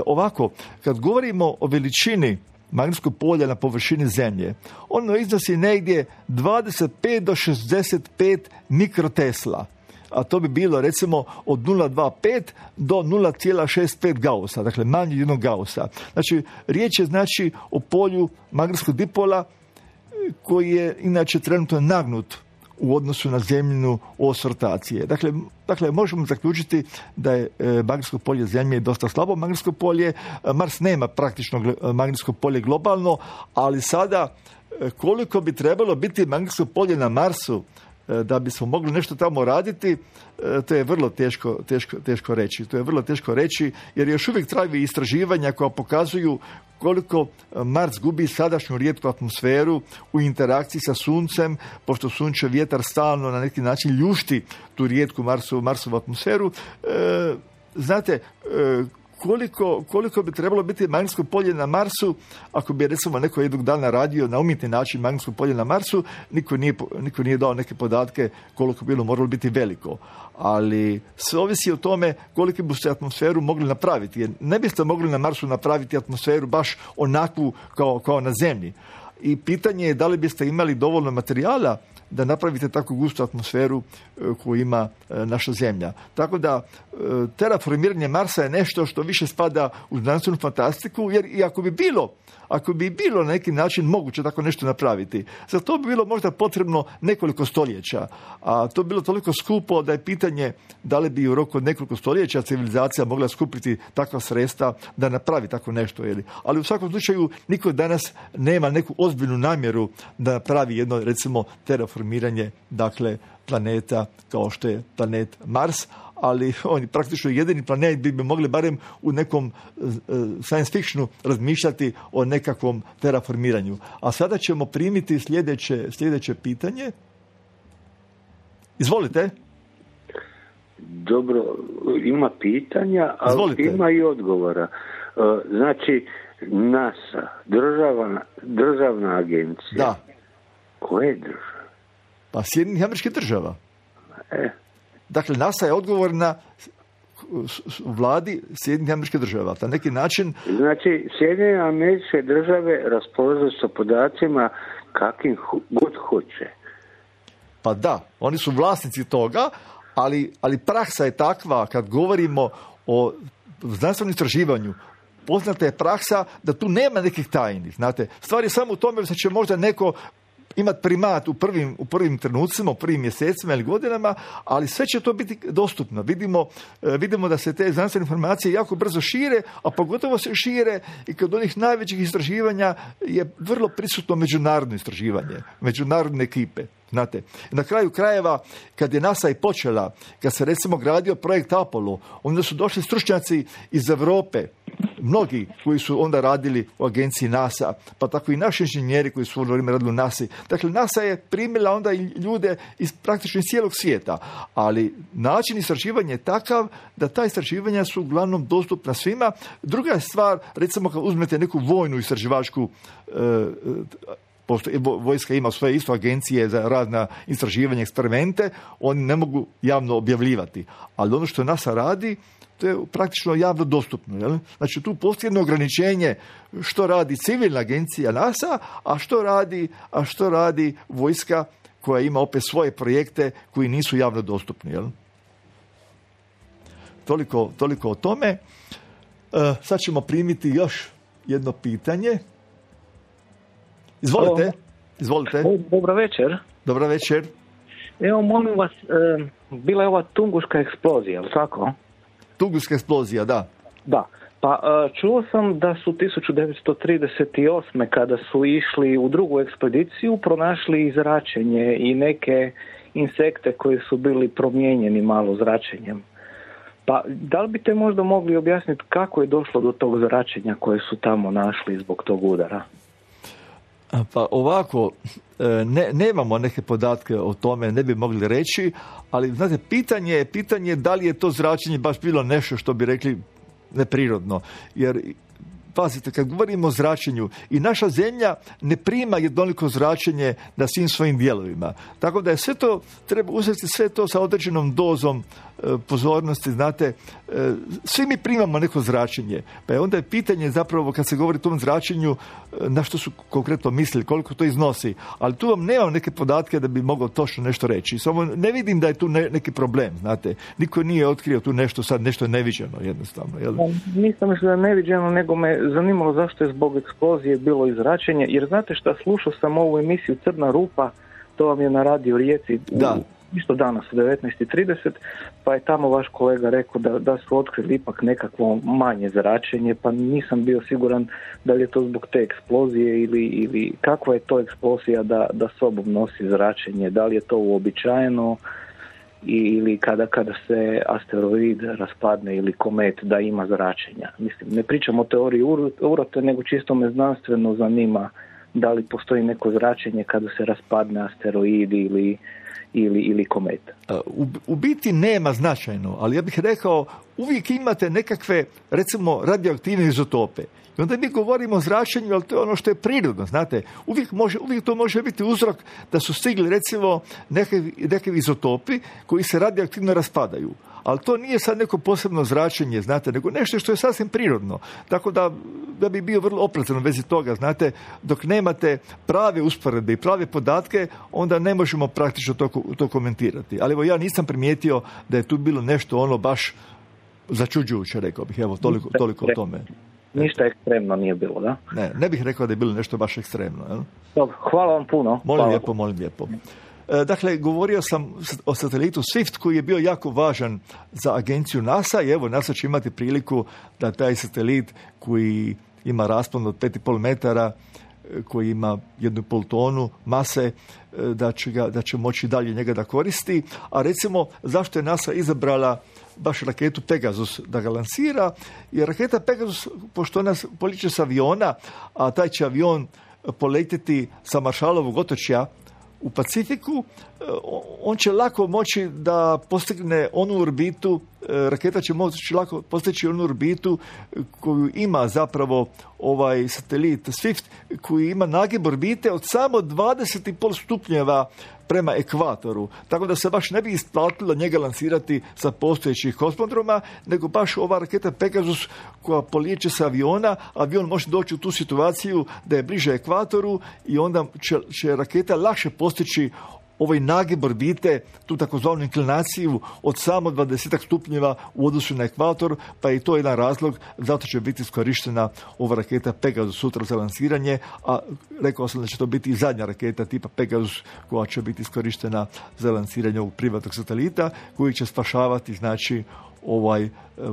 Ovako, kad govorimo o veličini magnetskog polja na površini Zemlje, ono iznosi negdje 25 do 65 mikrotesla. A to bi bilo recimo od 0,25 do 0,65 Gaussa, dakle manje jednog Gaussa. Znači, riječ je o polju magnetskog dipola koji je inače trenutno nagnut u odnosu na zemljinu os rotacije. Dakle, možemo zaključiti da je magnetsko polje Zemlje dosta slabo magnetsko polje. Mars nema praktično magnetsko polje globalno, ali sada koliko bi trebalo biti magnetsko polje na Marsu da bismo mogli nešto tamo raditi, to je vrlo teško reći. To je vrlo teško reći jer još uvijek traju istraživanja koja pokazuju koliko Mars gubi sadašnju rijetku atmosferu u interakciji sa Suncem, pošto sunčev vjetar stalno na neki način ljušti tu rijetku Marsovu atmosferu. Znate, koliko bi trebalo biti magnetsko polje na Marsu, ako bi recimo neko jednog dana radio na umjetni način magnetsko polje na Marsu, niko nije dao neke podatke koliko bi bilo moralo biti veliko. Ali sve ovisi o tome koliko biste atmosferu mogli napraviti. Jer ne biste mogli na Marsu napraviti atmosferu baš onakvu kao na Zemlji. I pitanje je da li biste imali dovoljno materijala da napravite tako gustu atmosferu koju ima naša Zemlja. Tako da terraformiranje Marsa je nešto što više spada u znanstvenu fantastiku, jer i ako bi bilo na neki način moguće tako nešto napraviti, za to bi bilo možda potrebno nekoliko stoljeća, a to bi bilo toliko skupo da je pitanje da li bi u roku od nekoliko stoljeća civilizacija mogla skupiti takva sredstva da napravi tako nešto. Ali u svakom slučaju niko danas nema neku ozbiljnu namjeru da napravi jedno, recimo, terraformiranje, dakle, planeta kao što je planet Mars, ali on je praktično jedini planet bi mogli barem u nekom science fictionu razmišljati o nekakvom terraformiranju. A sada ćemo primiti sljedeće pitanje. Izvolite. Dobro, ima pitanja, ali izvolite. Ima i odgovora. Znači, NASA, državna agencija. Da. Koje države? Pa Sjedinjenih Američkih Država. Dakle, NASA je odgovorna vladi Sjedinjenih Američkih Država. Na neki način... Znači, Sjedinjene Američke Države raspolažu sa podacima kakvim god hoće. Pa da, oni su vlasnici toga, ali praksa je takva, kad govorimo o znanstvenom istraživanju, poznata je praksa da tu nema nekih tajni. Znate, stvar je samo u tome da će možda neko imati primat u prvim trenucima, u prvim mjesecima ili godinama, ali sve će to biti dostupno. Vidimo da se te znanstvene informacije jako brzo šire, a pogotovo se šire i kod onih najvećih istraživanja je vrlo prisutno međunarodno istraživanje, međunarodne ekipe. Znate, na kraju krajeva, kad je NASA i počela, kad se recimo gradio projekt Apollo, onda su došli stručnjaci iz Europe, mnogi koji su onda radili u agenciji NASA, pa tako i naši inženjeri koji su radili u NASA. Dakle, NASA je primila onda i ljude iz praktično iz cijelog svijeta, ali način istraživanja je takav da ta istraživanja su uglavnom dostupna svima. Druga stvar, recimo kad uzmete neku vojnu istraživačku pošto vojska ima svoje isto agencije za razna istraživanja, eksperimente, oni ne mogu javno objavljivati. Ali ono što NASA radi, to je praktično javno dostupno. Jel? Znači tu postoji jedno ograničenje što radi civilna agencija NASA, a što radi vojska koja ima opet svoje projekte koji nisu javno dostupni. Jel? Toliko o tome. Sad ćemo primiti još jedno pitanje. Izvolite. Dobro večer. Dobro večer. Evo, molim vas, bila je ova Tunguška eksplozija, ali tako? Tunguška eksplozija, da. Da. Pa čuo sam da su 1938. kada su išli u drugu ekspediciju pronašli i zračenje i neke insekte koji su bili promijenjeni malo zračenjem. Pa da li biste možda mogli objasniti kako je došlo do tog zračenja koje su tamo našli zbog tog udara? Pa ovako, nemamo neke podatke o tome, ne bi mogli reći, ali znate, pitanje je da li je to zračenje baš bilo nešto što bi rekli neprirodno. Jer, pazite, kad govorimo o zračenju, i naša zemlja ne prima jednoliko zračenje na svim svojim dijelovima. Tako da je sve to, treba uzeti sve to sa određenom dozom pozornosti, znate, svi mi primamo neko zračenje, pa je onda je pitanje zapravo kad se govori o tom zračenju na što su konkretno mislili, koliko to iznosi, ali tu vam nemam neke podatke da bi mogao točno nešto reći, samo ne vidim da je tu neki problem, znate, niko nije otkrio tu nešto neviđeno jednostavno. Jel? Nisam mislio da je neviđeno, nego me zanimalo zašto je zbog eksplozije bilo i zračenje, jer znate šta, slušao sam ovu emisiju Crna rupa, to vam je na Radio Rijeci isto danas u 19:30, pa je tamo vaš kolega rekao da su otkrili ipak nekakvo manje zračenje, pa nisam bio siguran da li je to zbog te eksplozije ili kakva je to eksplozija da sobom nosi zračenje, da li je to uobičajeno ili kada se asteroid raspadne ili komet da ima zračenja. Mislim, ne pričam o teoriji urote, nego čisto me znanstveno zanima da li postoji neko zračenje kada se raspadne asteroid ili komet. U biti nema značajno, ali ja bih rekao uvijek imate nekakve, recimo, radioaktivne izotope. I onda mi govorimo o zračenju, ali to je ono što je prirodno, znate. Uvijek to može biti uzrok da su stigli, recimo, neke izotopi koji se radioaktivno raspadaju. Ali to nije sad neko posebno zračenje, znate, nego nešto što je sasvim prirodno. Tako da bi bio vrlo oprezan u vezi toga, znate, dok nemate prave usporedbe i prave podatke, onda ne možemo praktično to komentirati. Ali evo, ja nisam primijetio da je tu bilo nešto ono baš začuđujuće, rekao bih. Evo, toliko o tome. Ništa ekstremno nije bilo, da? Ne bih rekao da je bilo nešto baš ekstremno. Jel? Dobro, hvala vam puno. Molim lijepo. Dakle, govorio sam o satelitu Swift koji je bio jako važan za agenciju NASA i evo, NASA će imati priliku da taj satelit koji ima raspon od 5,5 metara, koji ima 1,5 tonu mase, da će moći dalje njega da koristi. A recimo, zašto je NASA izabrala baš raketu Pegasus da ga lansira? Jer raketa Pegasus, pošto ona poliče s aviona, a taj će avion poletjeti sa Maršalovog otočja u Pacifiku, on će lako moći da postigne onu orbitu, raketa će moći lako postići onu orbitu koju ima zapravo ovaj satelit Swift, koji ima nagib orbite od samo 20,5 stupnjeva prema ekvatoru. Tako da se baš ne bi isplatilo njega lansirati sa postojećih kosmodroma, nego baš ova raketa Pegasus koja polijeće sa aviona, avion može doći u tu situaciju da je bliže ekvatoru i onda će raketa lakše postići ovaj nagib orbite, tu takozvanu inklinaciju od samo 20 stupnjeva u odnosu na ekvator, pa je to jedan razlog, zato će biti iskorištena ova raketa Pegasus sutra za lansiranje, a rekao sam da će to biti i zadnja raketa tipa Pegasus koja će biti iskorištena za lansiranje ovog privatnog satelita, koji će spašavati, znači,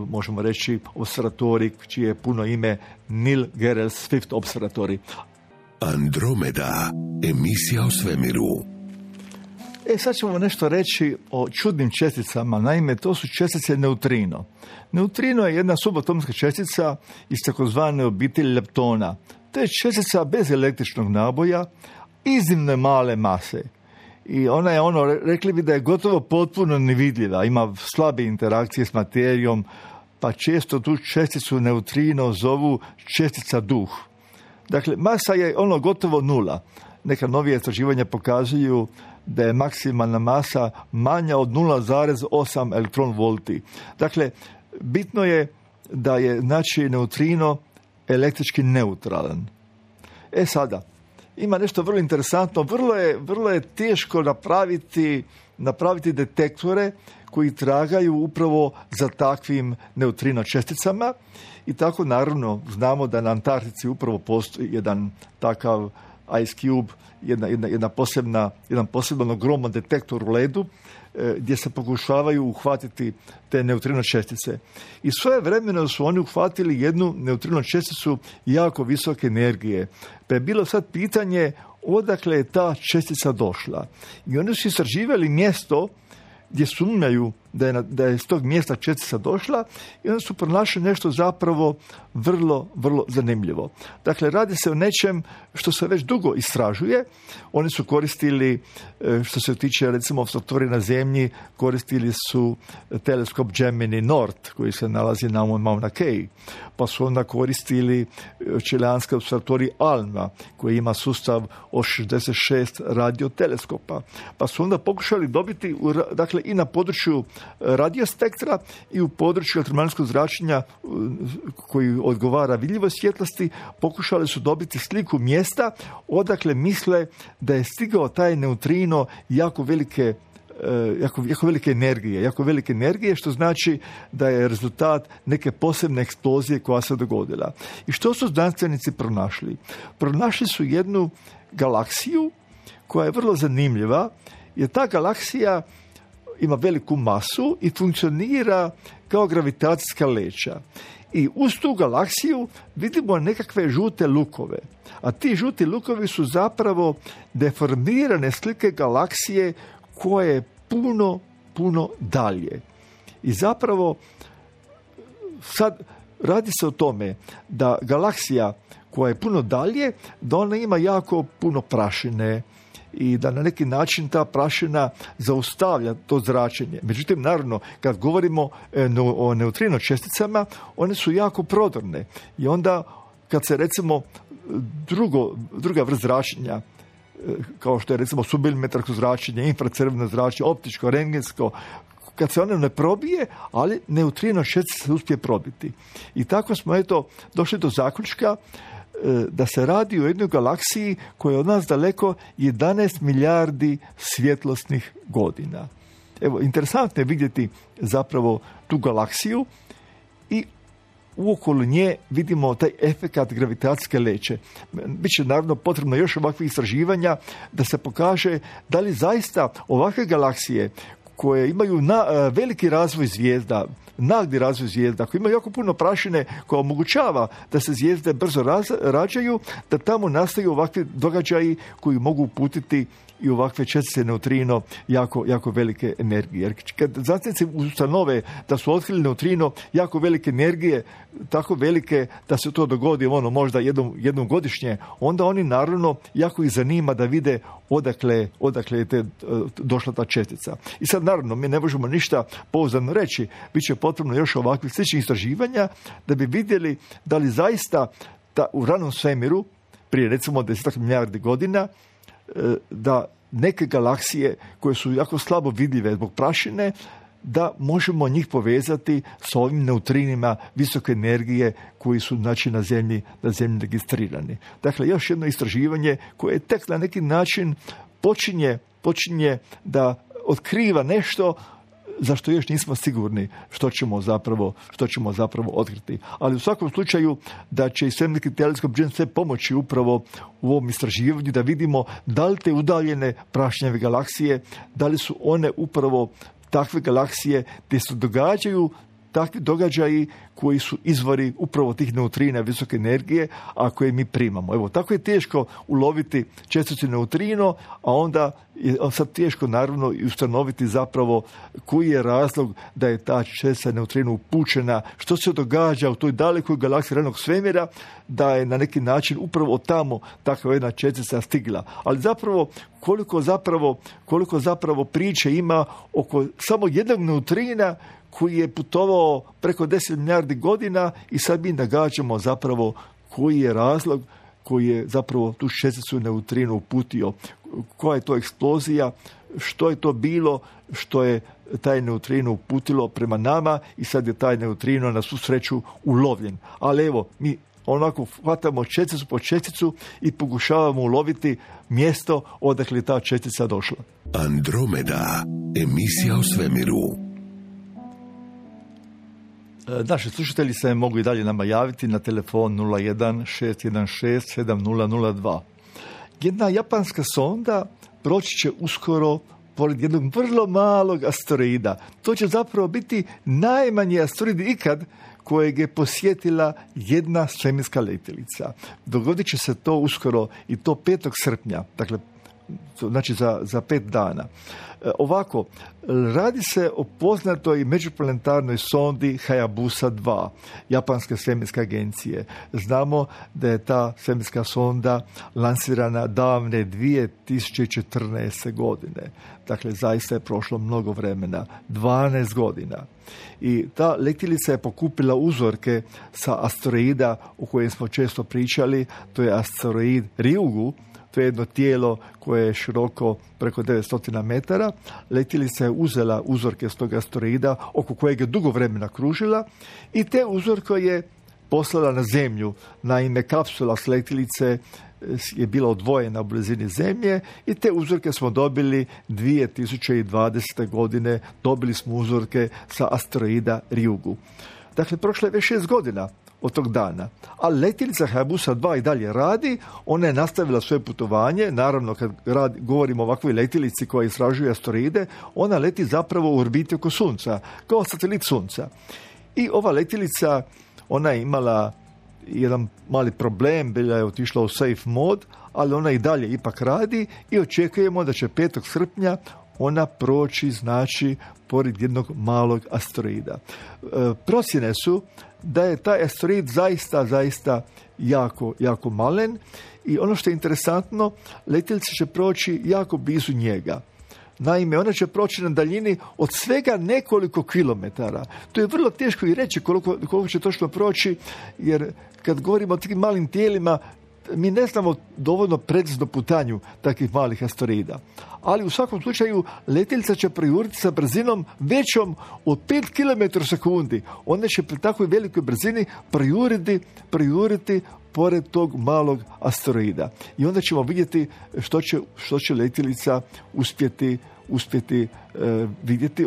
možemo reći, observatorij čije je puno ime Neil Gehrels Swift Observatory. Andromeda, emisija o svemiru. Sad ćemo nešto reći o čudnim česticama. Naime, to su čestice neutrino. Neutrino je jedna subatomska čestica iz takozvane obitelji leptona. To je čestica bez električnog naboja, iznimno male mase. I ona je rekli bi da je gotovo potpuno nevidljiva. Ima slabe interakcije s materijom, pa često tu česticu neutrino zovu čestica duh. Dakle, masa je gotovo nula. Neka novija istraživanja pokazuju da je maksimalna masa manja od 0,8 elektron volti. Dakle, bitno je da je, znači, neutrino električki neutralan. Sada, ima nešto vrlo interesantno. Vrlo je teško napraviti detektore koji tragaju upravo za takvim neutrino česticama i tako, naravno, znamo da na Antarktici upravo postoji jedan takav Ice Cube, jedan poseban ogroman detektor u ledu gdje se pokušavaju uhvatiti te neutrino čestice. I svojevremeno su oni uhvatili jednu neutrino česticu jako visoke energije. Pa je bilo sad pitanje odakle je ta čestica došla. I oni su istraživali mjesto gdje sumnjaju da je iz tog mjesta čestica došla i onda su pronašli nešto zapravo vrlo, vrlo zanimljivo. Dakle, radi se o nečem što se već dugo istražuje. Oni su koristili, što se tiče, recimo, observatorija na Zemlji, koristili su teleskop Gemini Nord, koji se nalazi na Mauna Kea. Pa su onda koristili čileanski observatorij ALMA, koji ima sustav od 66 radioteleskopa. Pa su onda pokušali dobiti, dakle, i na području radiospektra i u području elektromagnetskog zračenja koji odgovara vidljivoj svjetlosti, pokušali su dobiti sliku mjesta odakle misle da je stigao taj neutrino jako velike energije, što znači da je rezultat neke posebne eksplozije koja se dogodila. I što su znanstvenici pronašli? Pronašli su jednu galaksiju koja je vrlo zanimljiva, jer ta galaksija ima veliku masu i funkcionira kao gravitacijska leća. I uz tu galaksiju vidimo nekakve žute lukove. A ti žuti lukovi su zapravo deformirane slike galaksije koje je puno dalje. I zapravo sad radi se o tome da galaksija koja je puno dalje, da ona ima jako puno prašine i da na neki način ta prašina zaustavlja to zračenje. Međutim, naravno, kad govorimo o neutrino česticama, one su jako prodorne. I onda, kad se recimo druga vrsta zračenja, kao što je recimo submilimetarsko zračenje, infracrveno zračenje, optičko, rentgensko, kad se ono ne probije, ali neutrino čestica se uspije probiti. I tako smo došli do zaključka da se radi o jednoj galaksiji koja je od nas daleko 11 milijardi svjetlosnih godina. Evo, interesantno je vidjeti zapravo tu galaksiju i uokolo nje vidimo taj efekat gravitacijske leće. Biće naravno potrebno još ovakvih istraživanja da se pokaže da li zaista ovakve galaksije koje imaju veliki razvoj zvijezda, nagli razvoj zvijezda, koji imaju jako puno prašine koja omogućava da se zvijezde brzo rađaju, da tamo nastaju ovakvi događaji koji mogu uputiti i ovakve čestice neutrino jako velike energije. Jer kad znanstvenici ustanove da su otkrili neutrino jako velike energije, tako velike da se to dogodi možda jednom godišnje, onda oni naravno jako ih zanima da vide odakle je došla ta čestica. I sad naravno mi ne možemo ništa pouzdano reći, bit će potrebno još ovakvih sličnih istraživanja da bi vidjeli da li zaista u ranom svemiru, prije recimo 10 milijardi godina, da neke galaksije koje su jako slabo vidljive zbog prašine, da možemo njih povezati s ovim neutrinima visoke energije koji su na zemlji registrirani. Dakle, još jedno istraživanje koje tek na neki način počinje da otkriva nešto za što još nismo sigurni što ćemo zapravo otkriti. Ali u svakom slučaju da će i svemirski teleskop James Webb pomoći upravo u ovom istraživanju da vidimo da li te udaljene prašnjave galaksije, da li su one upravo takve galaksije gdje se događaju takvi događaji koji su izvori upravo tih neutrina visoke energije, a koje mi primamo. Evo, tako je teško uloviti česticu neutrino, a onda je sad teško naravno i ustanoviti zapravo koji je razlog da je ta čestica neutrino upućena, što se događa u toj dalekoj galaksiji ranog svemira, da je na neki način upravo tamo takva jedna čestica stigla. Ali zapravo koliko zapravo priče ima oko samo jednog neutrina koji je putovao preko 10 milijardi godina i sad mi nagađamo zapravo koji je razlog koji je zapravo tu česticu neutrino uputio. Koja je to eksplozija, što je to bilo, što je taj neutrino uputilo prema nama i sad je taj neutrino na svu sreću ulovljen. Ali evo, mi onako hvatamo česticu po česticu i pokušavamo uloviti mjesto odakle je ta čestica došla. Andromeda, emisija o svemiru. Naši slušatelji se mogu i dalje nama javiti na telefon 01-616-7002. Jedna japanska sonda proći će uskoro pored jednog vrlo malog asteroida. To će zapravo biti najmanji asteroid ikad kojeg je posjetila jedna svemirska letjelica. Dogodit će se to uskoro i to 5. srpnja, dakle znači za 5 dana. Ovako, radi se o poznatoj međuplanetarnoj sondi Hayabusa 2, japanske svemirske agencije. Znamo da je ta svemirska sonda lansirana davne 2014. godine. Dakle, zaista je prošlo mnogo vremena, 12 godina. I ta letjelica je pokupila uzorke sa asteroida o kojem smo često pričali, to je asteroid Ryugu. To je jedno tijelo koje je široko preko 900 metara. Letjelica je uzela uzorke s tog asteroida oko kojeg je dugo vremena kružila i te uzorke je poslala na Zemlju. Naime, kapsula s letjelice je bila odvojena u blizini Zemlje i te uzorke smo dobili 2020. godine. Dobili smo uzorke sa asteroida Ryugu. Dakle, prošlo je već 6 godina od tog dana. Ali letjelica Hayabusa 2 i dalje radi, ona je nastavila svoje putovanje, naravno kad govorimo o ovakvoj letjelici koja istražuje asteroide, ona leti zapravo u orbiti oko Sunca, kao satelit Sunca. I ova letjelica, ona je imala jedan mali problem, bila je otišla u safe mod, ali ona i dalje ipak radi i očekujemo da će 5. srpnja ona proći, znači, pored jednog malog asteroida. Procjene su da je taj asteroid zaista jako malen i ono što je interesantno, letjelica će proći jako blizu njega. Naime, ona će proći na daljini od svega nekoliko kilometara. To je vrlo teško i reći koliko će točno proći, jer kad govorimo o tim malim tijelima, mi ne znamo dovoljno precizno putanju takvih malih asteroida. Ali u svakom slučaju letjelica će projuriti sa brzinom većom od 5 km sekundi. Ona će pri takvoj velikoj brzini projuriti pored tog malog asteroida. I onda ćemo vidjeti što će letjelica uspjeti vidjeti.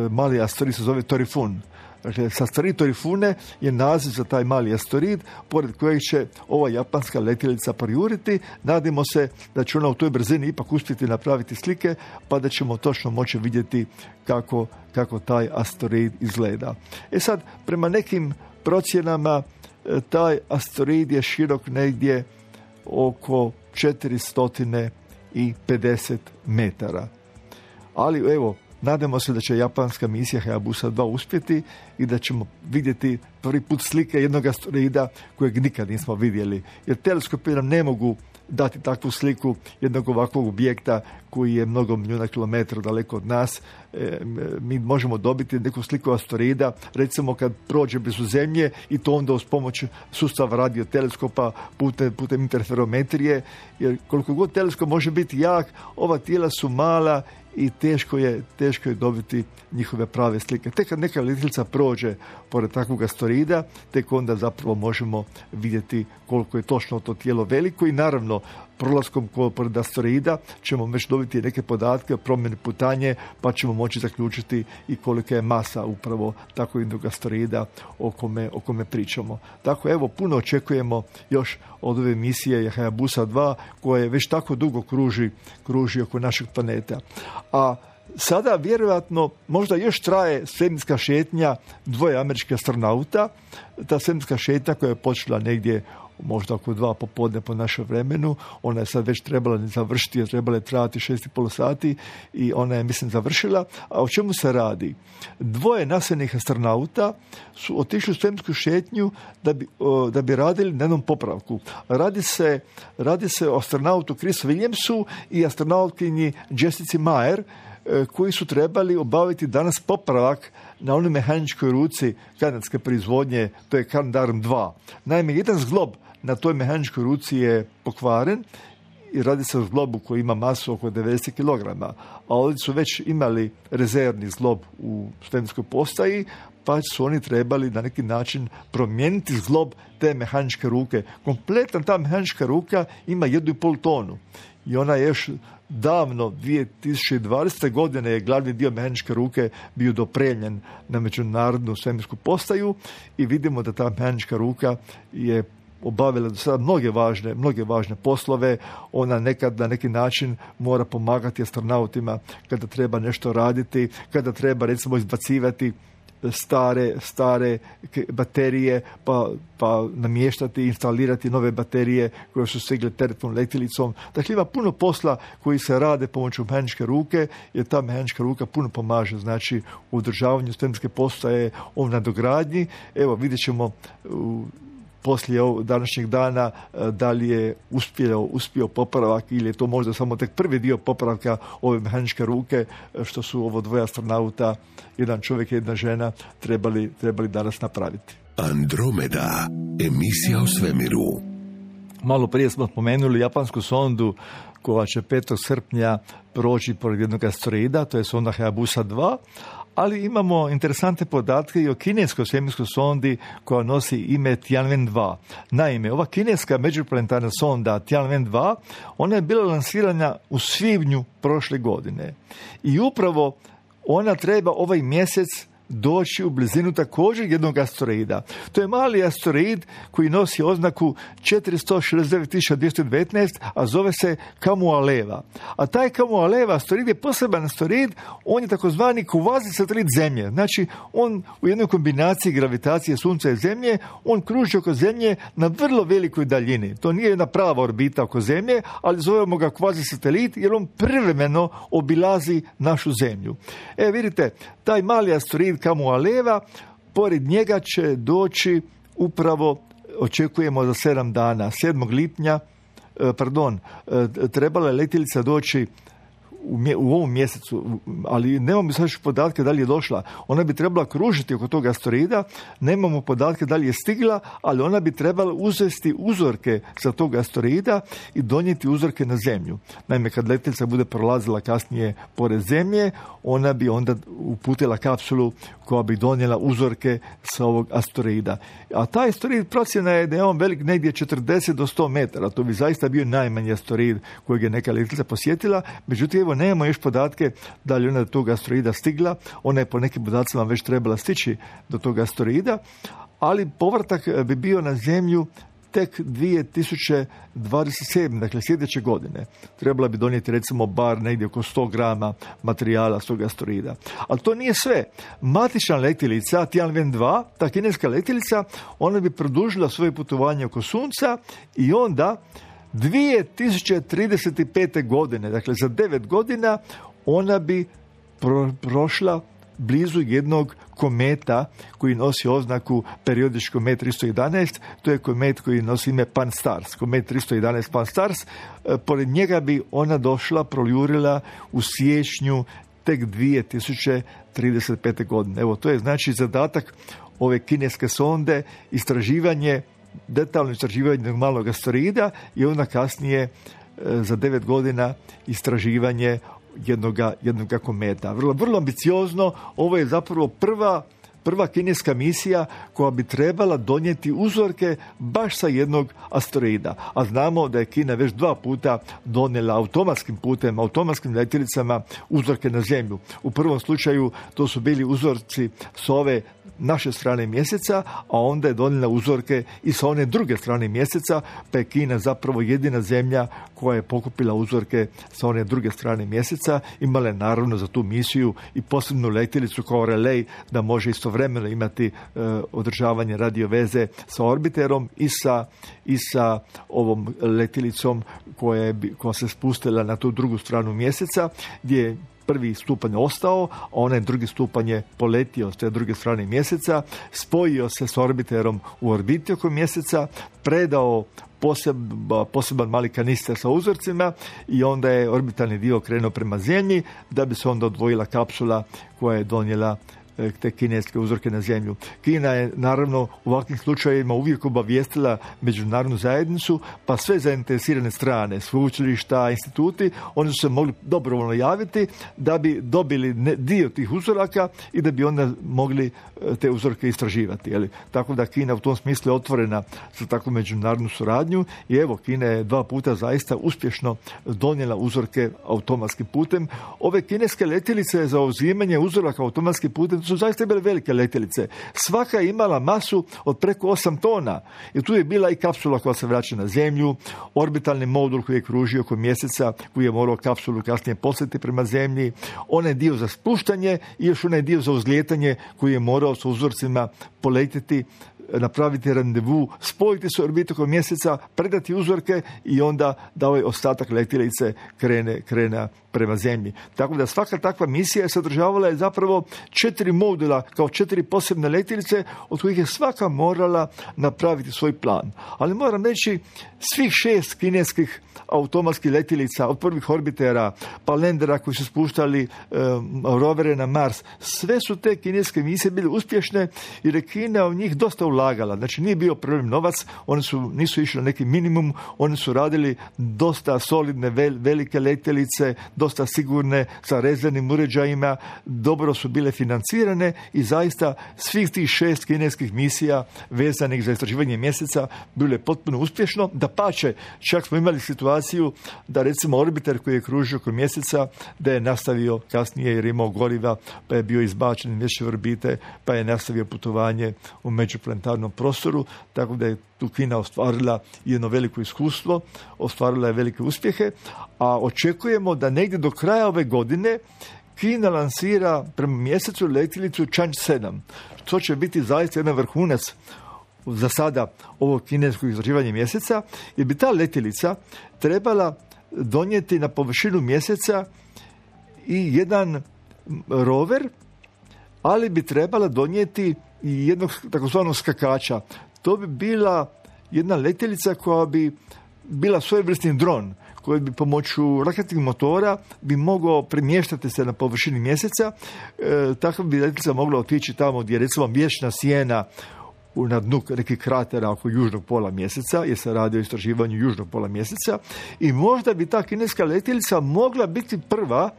Mali asteroid se zove Torifun. Dakle, asteroid Torifune je naziv za taj mali asteroid, pored kojeg će ova japanska letjelica projuriti. Nadimo se da će ona u toj brzini ipak uspjeti napraviti slike, pa da ćemo točno moći vidjeti kako taj asteroid izgleda. Sad, prema nekim procjenama, taj asteroid je širok negdje oko 450 metara. Ali evo, nadamo se da će japanska misija Hayabusa 2 uspjeti i da ćemo vidjeti prvi put slike jednog asteroida kojeg nikad nismo vidjeli. Jer teleskopi nam ne mogu dati takvu sliku jednog ovakvog objekta koji je mnogo milijuna kilometara daleko od nas. Mi možemo dobiti neku sliku asteroida, recimo kad prođe blizu Zemlje, i to onda uz pomoć sustava radioteleskopa putem interferometrije, jer koliko god teleskop može biti jak, ova tijela su mala i teško je dobiti njihove prave slike. Tek kad neka letjelica prođe pored takvog asteroida, tek onda zapravo možemo vidjeti koliko je točno to tijelo veliko i naravno prolaskom pored asteroida ćemo već dobiti neke podatke o promjeni putanje, pa ćemo moći zaključiti i kolika je masa upravo tako jednog asteroida o kome pričamo. Tako evo, puno očekujemo još od ove misije Hayabusa 2 koja već tako dugo kruži oko našeg planeta. A sada vjerojatno možda još traje svemirska šetnja 2 američkih astronauta. Ta svemirska šetnja koja je počela negdje možda oko 2 popodne po našem vremenu, ona je sad već trebala završiti, jer trebala je trajati 6,5 sati i ona je, mislim, završila. A o čemu se radi? 2 nasljednih astronauta su otišli u svemirsku šetnju da bi radili na jednom popravku. Radi se o astronautu Chris Williamsu i astronautkinji Jessica Meyer, koji su trebali obaviti danas popravak na onoj mehaničkoj ruci kanadske proizvodnje, to je Canadarm 2. Naime, jedan zglob na toj mehaničkoj ruci je pokvaren i radi se o zglobu koji ima masu oko 90 kg. A ovdje su već imali rezervni zglob u svemirskoj postaji, pa su oni trebali na neki način promijeniti zglob te mehaničke ruke. Kompletna ta mehanička ruka ima 1,5 tonu i ona je još davno, 2020. godine je glavni dio mehaničke ruke bio dopremljen na međunarodnu svemirsku postaju i vidimo da ta mehanička ruka je obavila do sada mnoge važne poslove. Ona nekad na neki način mora pomagati astronautima kada treba nešto raditi, kada treba recimo izbacivati stare baterije pa namještati, instalirati nove baterije koje su stigle teretnom letjelicom. Dakle, ima puno posla koji se rade pomoću mehaničke ruke, jer ta mehanička ruka puno pomaže, znači u održavanju svemirske postaje, o nadogradnji. Evo, vidjet ćemo poslije današnjeg dana da li je uspio popravak ili je to možda samo tek prvi dio popravka ove mehaničke ruke, što su ovo 2 astronauta, jedan čovjek i jedna žena, trebali danas napraviti. Andromeda, emisija o svemiru. Malo prije smo spomenuli japansku sondu koja će 5. srpnja proći pored jednog asteroida, to je sonda Hayabusa 2, ali imamo interesantne podatke i o kineskoj svemirskoj sondi koja nosi ime Tianwen-2. Naime, ova kineska međuplanetarna sonda Tianwen-2, ona je bila lansirana u svibnju prošle godine. I upravo ona treba ovaj mjesec doći u blizinu također jednog asteroida. To je mali asteroid koji nosi oznaku 469.219, a zove se Kamualeva. A taj Kamualeva asteroid je poseban asteroid, on je takozvani kvazi satelit Zemlje. Znači, on u jednoj kombinaciji gravitacije Sunca i Zemlje, on kruži oko Zemlje na vrlo velikoj daljini. To nije jedna prava orbita oko Zemlje, ali zovemo ga kvazi satelit jer on privremeno obilazi našu Zemlju. Vidite, taj mali asteroid Kamualeva, pored njega će doći upravo, očekujemo za 7 dana, 7. lipnja, trebala je letjelica doći u ovom mjesecu, ali nemamo sad podatke da li je došla. Ona bi trebala kružiti oko tog asteroida, nemamo podatke da li je stigla, ali ona bi trebala uzeti uzorke sa tog asteroida i donijeti uzorke na Zemlju. Naime, kad letjelica bude prolazila kasnije pored Zemlje, ona bi onda uputila kapsulu koja bi donijela uzorke sa ovog asteroida. A taj asteroid, procjena je da je on velik negdje 40 do 100 metara. To bi zaista bio najmanji asteroid kojeg je neka letjelica posjetila. Međutim, evo, nemamo još podatke da li ona do tog asteroida stigla. Ona je po nekim podacima već trebala stići do tog asteroida, ali povratak bi bio na Zemlju tek 2027. Dakle sljedeće godine. Trebala bi donijeti recimo bar negdje oko 100 grama materijala s tog asteroida. Ali to nije sve. Matična letjelica Tianwen-2, ta kineska letjelica, ona bi produžila svoje putovanje oko Sunca i onda 2035. godine, dakle za 9 godina, ona bi prošla blizu jednog kometa koji nosi oznaku periodički komet 311, to je komet koji nosi ime Pan-STARRS, komet 311 Pan-STARRS. Pored njega bi ona došla, projurila u siječnju tek 2035. godine. Evo, to je znači zadatak ove kineske sonde, istraživanje, detaljno istraživanje malog asteroida i onda kasnije za 9 godina istraživanje jednoga kometa. Vrlo ambiciozno. Ovo je zapravo prva kineska misija koja bi trebala donijeti uzorke baš sa jednog asteroida. A znamo da je Kina već 2 puta donijela automatskim putem, automatskim letjelicama uzorke na Zemlju. U prvom slučaju to su bili uzorci s ove naše strane mjeseca, a onda je donijela uzorke i sa one druge strane mjeseca, pa je Kina zapravo jedina zemlja koja je pokupila uzorke sa one druge strane mjeseca. Imala je naravno za tu misiju i posebnu letjelicu kao relej da može istovremeno imati održavanje radio veze sa orbiterom i sa ovom letjelicom koja se spustila na tu drugu stranu mjeseca, gdje je prvi stupanj ostao, a onaj drugi stupanj je poletio s te druge strane mjeseca, spojio se s orbiterom u orbiti oko mjeseca, predao poseban mali kanister sa uzorcima i onda je orbitalni dio krenuo prema Zemlji, da bi se onda odvojila kapsula koja je donijela te kineske uzorke na Zemlju. Kina je naravno u ovakvim slučajevima uvijek obavijestila međunarodnu zajednicu, pa sve zainteresirane strane, sveučilišta, instituti, oni su se mogli dobrovoljno javiti da bi dobili dio tih uzoraka i da bi onda mogli te uzorke istraživati. Jeli? Tako da Kina u tom smislu je otvorena za takvu međunarodnu suradnju i evo, Kina je 2 puta zaista uspješno donijela uzorke automatskim putem. Ove kineske letjelice za uzimanje uzoraka automatskim putem su zaista bile velike letjelice. Svaka je imala masu od preko 8 tona. I tu je bila i kapsula koja se vraća na Zemlju, orbitalni modul koji je kružio oko mjeseca, koji je morao kapsulu kasnije poslati prema Zemlji, onaj dio za spuštanje i još onaj dio za uzlijetanje koji je morao sa uzorcima poletiti, napraviti randevu, spojiti se orbitu oko mjeseca, predati uzorke i onda da ovaj ostatak letjelice krene prema Zemlji. Tako da svaka takva misija sadržavala je zapravo 4 modula kao 4 posebne letjelice od kojih je svaka morala napraviti svoj plan. Ali moram reći, svih 6 kineskih automatskih letjelica, od prvih orbitera, pa landera koji su spuštali rovere na Mars, sve su te kineske misije bile uspješne jer je Kina u njih dosta ulagala. Znači nije bio problem novac, nisu išli na neki minimum, oni su radili dosta solidne, velike letjelice, dosta sigurne, sa rezervnim uređajima, dobro su bile financirane aktivirane i zaista svih tih 6 kineskih misija vezanih za istraživanje mjeseca bilo je potpuno uspješno. Dapače, čak smo imali situaciju da recimo orbiter koji je kružio oko mjeseca da je nastavio kasnije jer je imao goriva, pa je bio izbačen iz mjesečeve orbite, pa je nastavio putovanje u međuplanetarnom prostoru, tako da je tu Kina ostvarila jedno veliko iskustvo, ostvarila je velike uspjehe, a očekujemo da negdje do kraja ove godine Kina lansira prema mjesecu letjelicu Chang'e 7. To će biti zaista jedan vrhunac za sada ovog kineskog istraživanja mjeseca, jer bi ta letjelica trebala donijeti na površinu mjeseca i jedan rover, ali bi trebala donijeti i jednog takozvanog skakača. To bi bila jedna letjelica koja bi bila svojevrsni dron, koji bi pomoću raketnih motora bi mogao premještati se na površini mjeseca. Takva bi letjelica mogla otići tamo gdje je recimo vječna sjena na dnu nekih kratera oko južnog pola mjeseca, jer se radi o istraživanju južnog pola mjeseca, i možda bi ta kineska letjelica mogla biti prva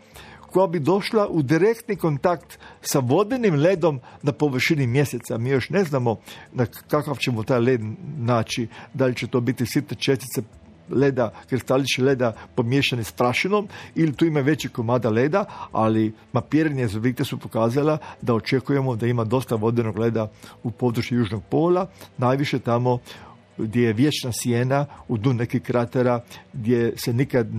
koja bi došla u direktni kontakt sa vodenim ledom na površini mjeseca. Mi još ne znamo na kakav ćemo taj led naći, da li će to biti sitne čestice leda, kristalići leda pomiješani s prašinom ili tu ima veći komada leda, ali mapiranje zovite su pokazala da očekujemo da ima dosta vodenog leda u području južnog pola, najviše tamo gdje je vječna sjena u dnu nekih kratera gdje se nikad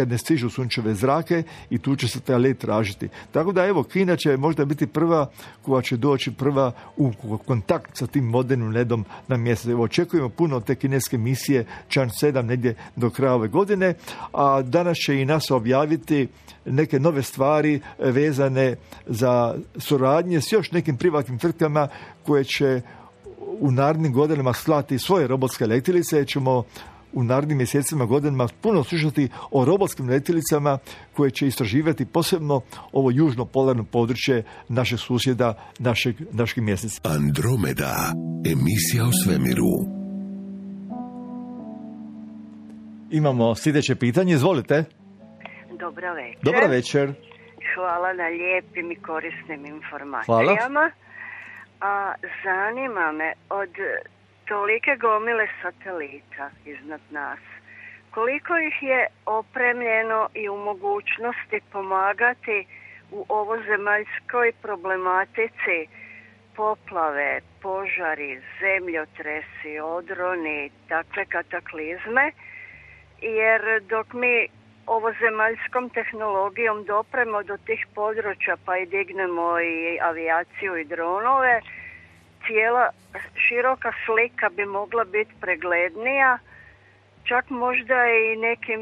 ne stižu sunčeve zrake i tu će se taj led tražiti. Tako da evo, Kina će možda biti prva koja će doći prva u kontakt sa tim vodenim ledom na mjesec. Evo, očekujemo puno od te kineske misije Chang'e 7 negdje do kraja ove godine, a danas će i NASA objaviti neke nove stvari vezane za suradnje s još nekim privatnim tvrtkama koje će u narednim godinama slati svoje robotske letjelice. Ćemo u narednim mjesecima, godinama puno slušati o robotskim letjelicama koje će istraživati posebno ovo južno polarno područje našeg susjeda, našeg mjeseca. Andromeda, emisija o svemiru. Imamo sljedeće pitanje, izvolite. Dobro večer. Dobro večer. Hvala na lijepim i korisnim informacijama. Hvala. A zanima me, od tolike gomile satelita iznad nas, koliko ih je opremljeno i u mogućnosti pomagati u ovozemaljskoj problematici poplave, požari, zemljotresi, odroni, takve kataklizme, jer dok mi ovozemaljskom tehnologijom dopremo do tih područja pa i dignemo i avijaciju i dronove, cijela široka slika bi mogla biti preglednija, čak možda i nekim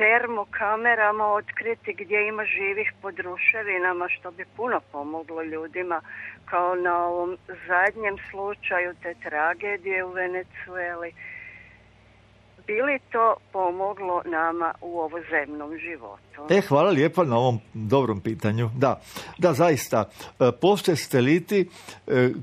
termokamerama otkriti gdje ima živih pod ruševinama, što bi puno pomoglo ljudima, kao na ovom zadnjem slučaju te tragedije u Venezueli. Bi li to pomoglo nama u ovozemnom životu? Hvala lijepo na ovom dobrom pitanju. Da, zaista. Postoje sateliti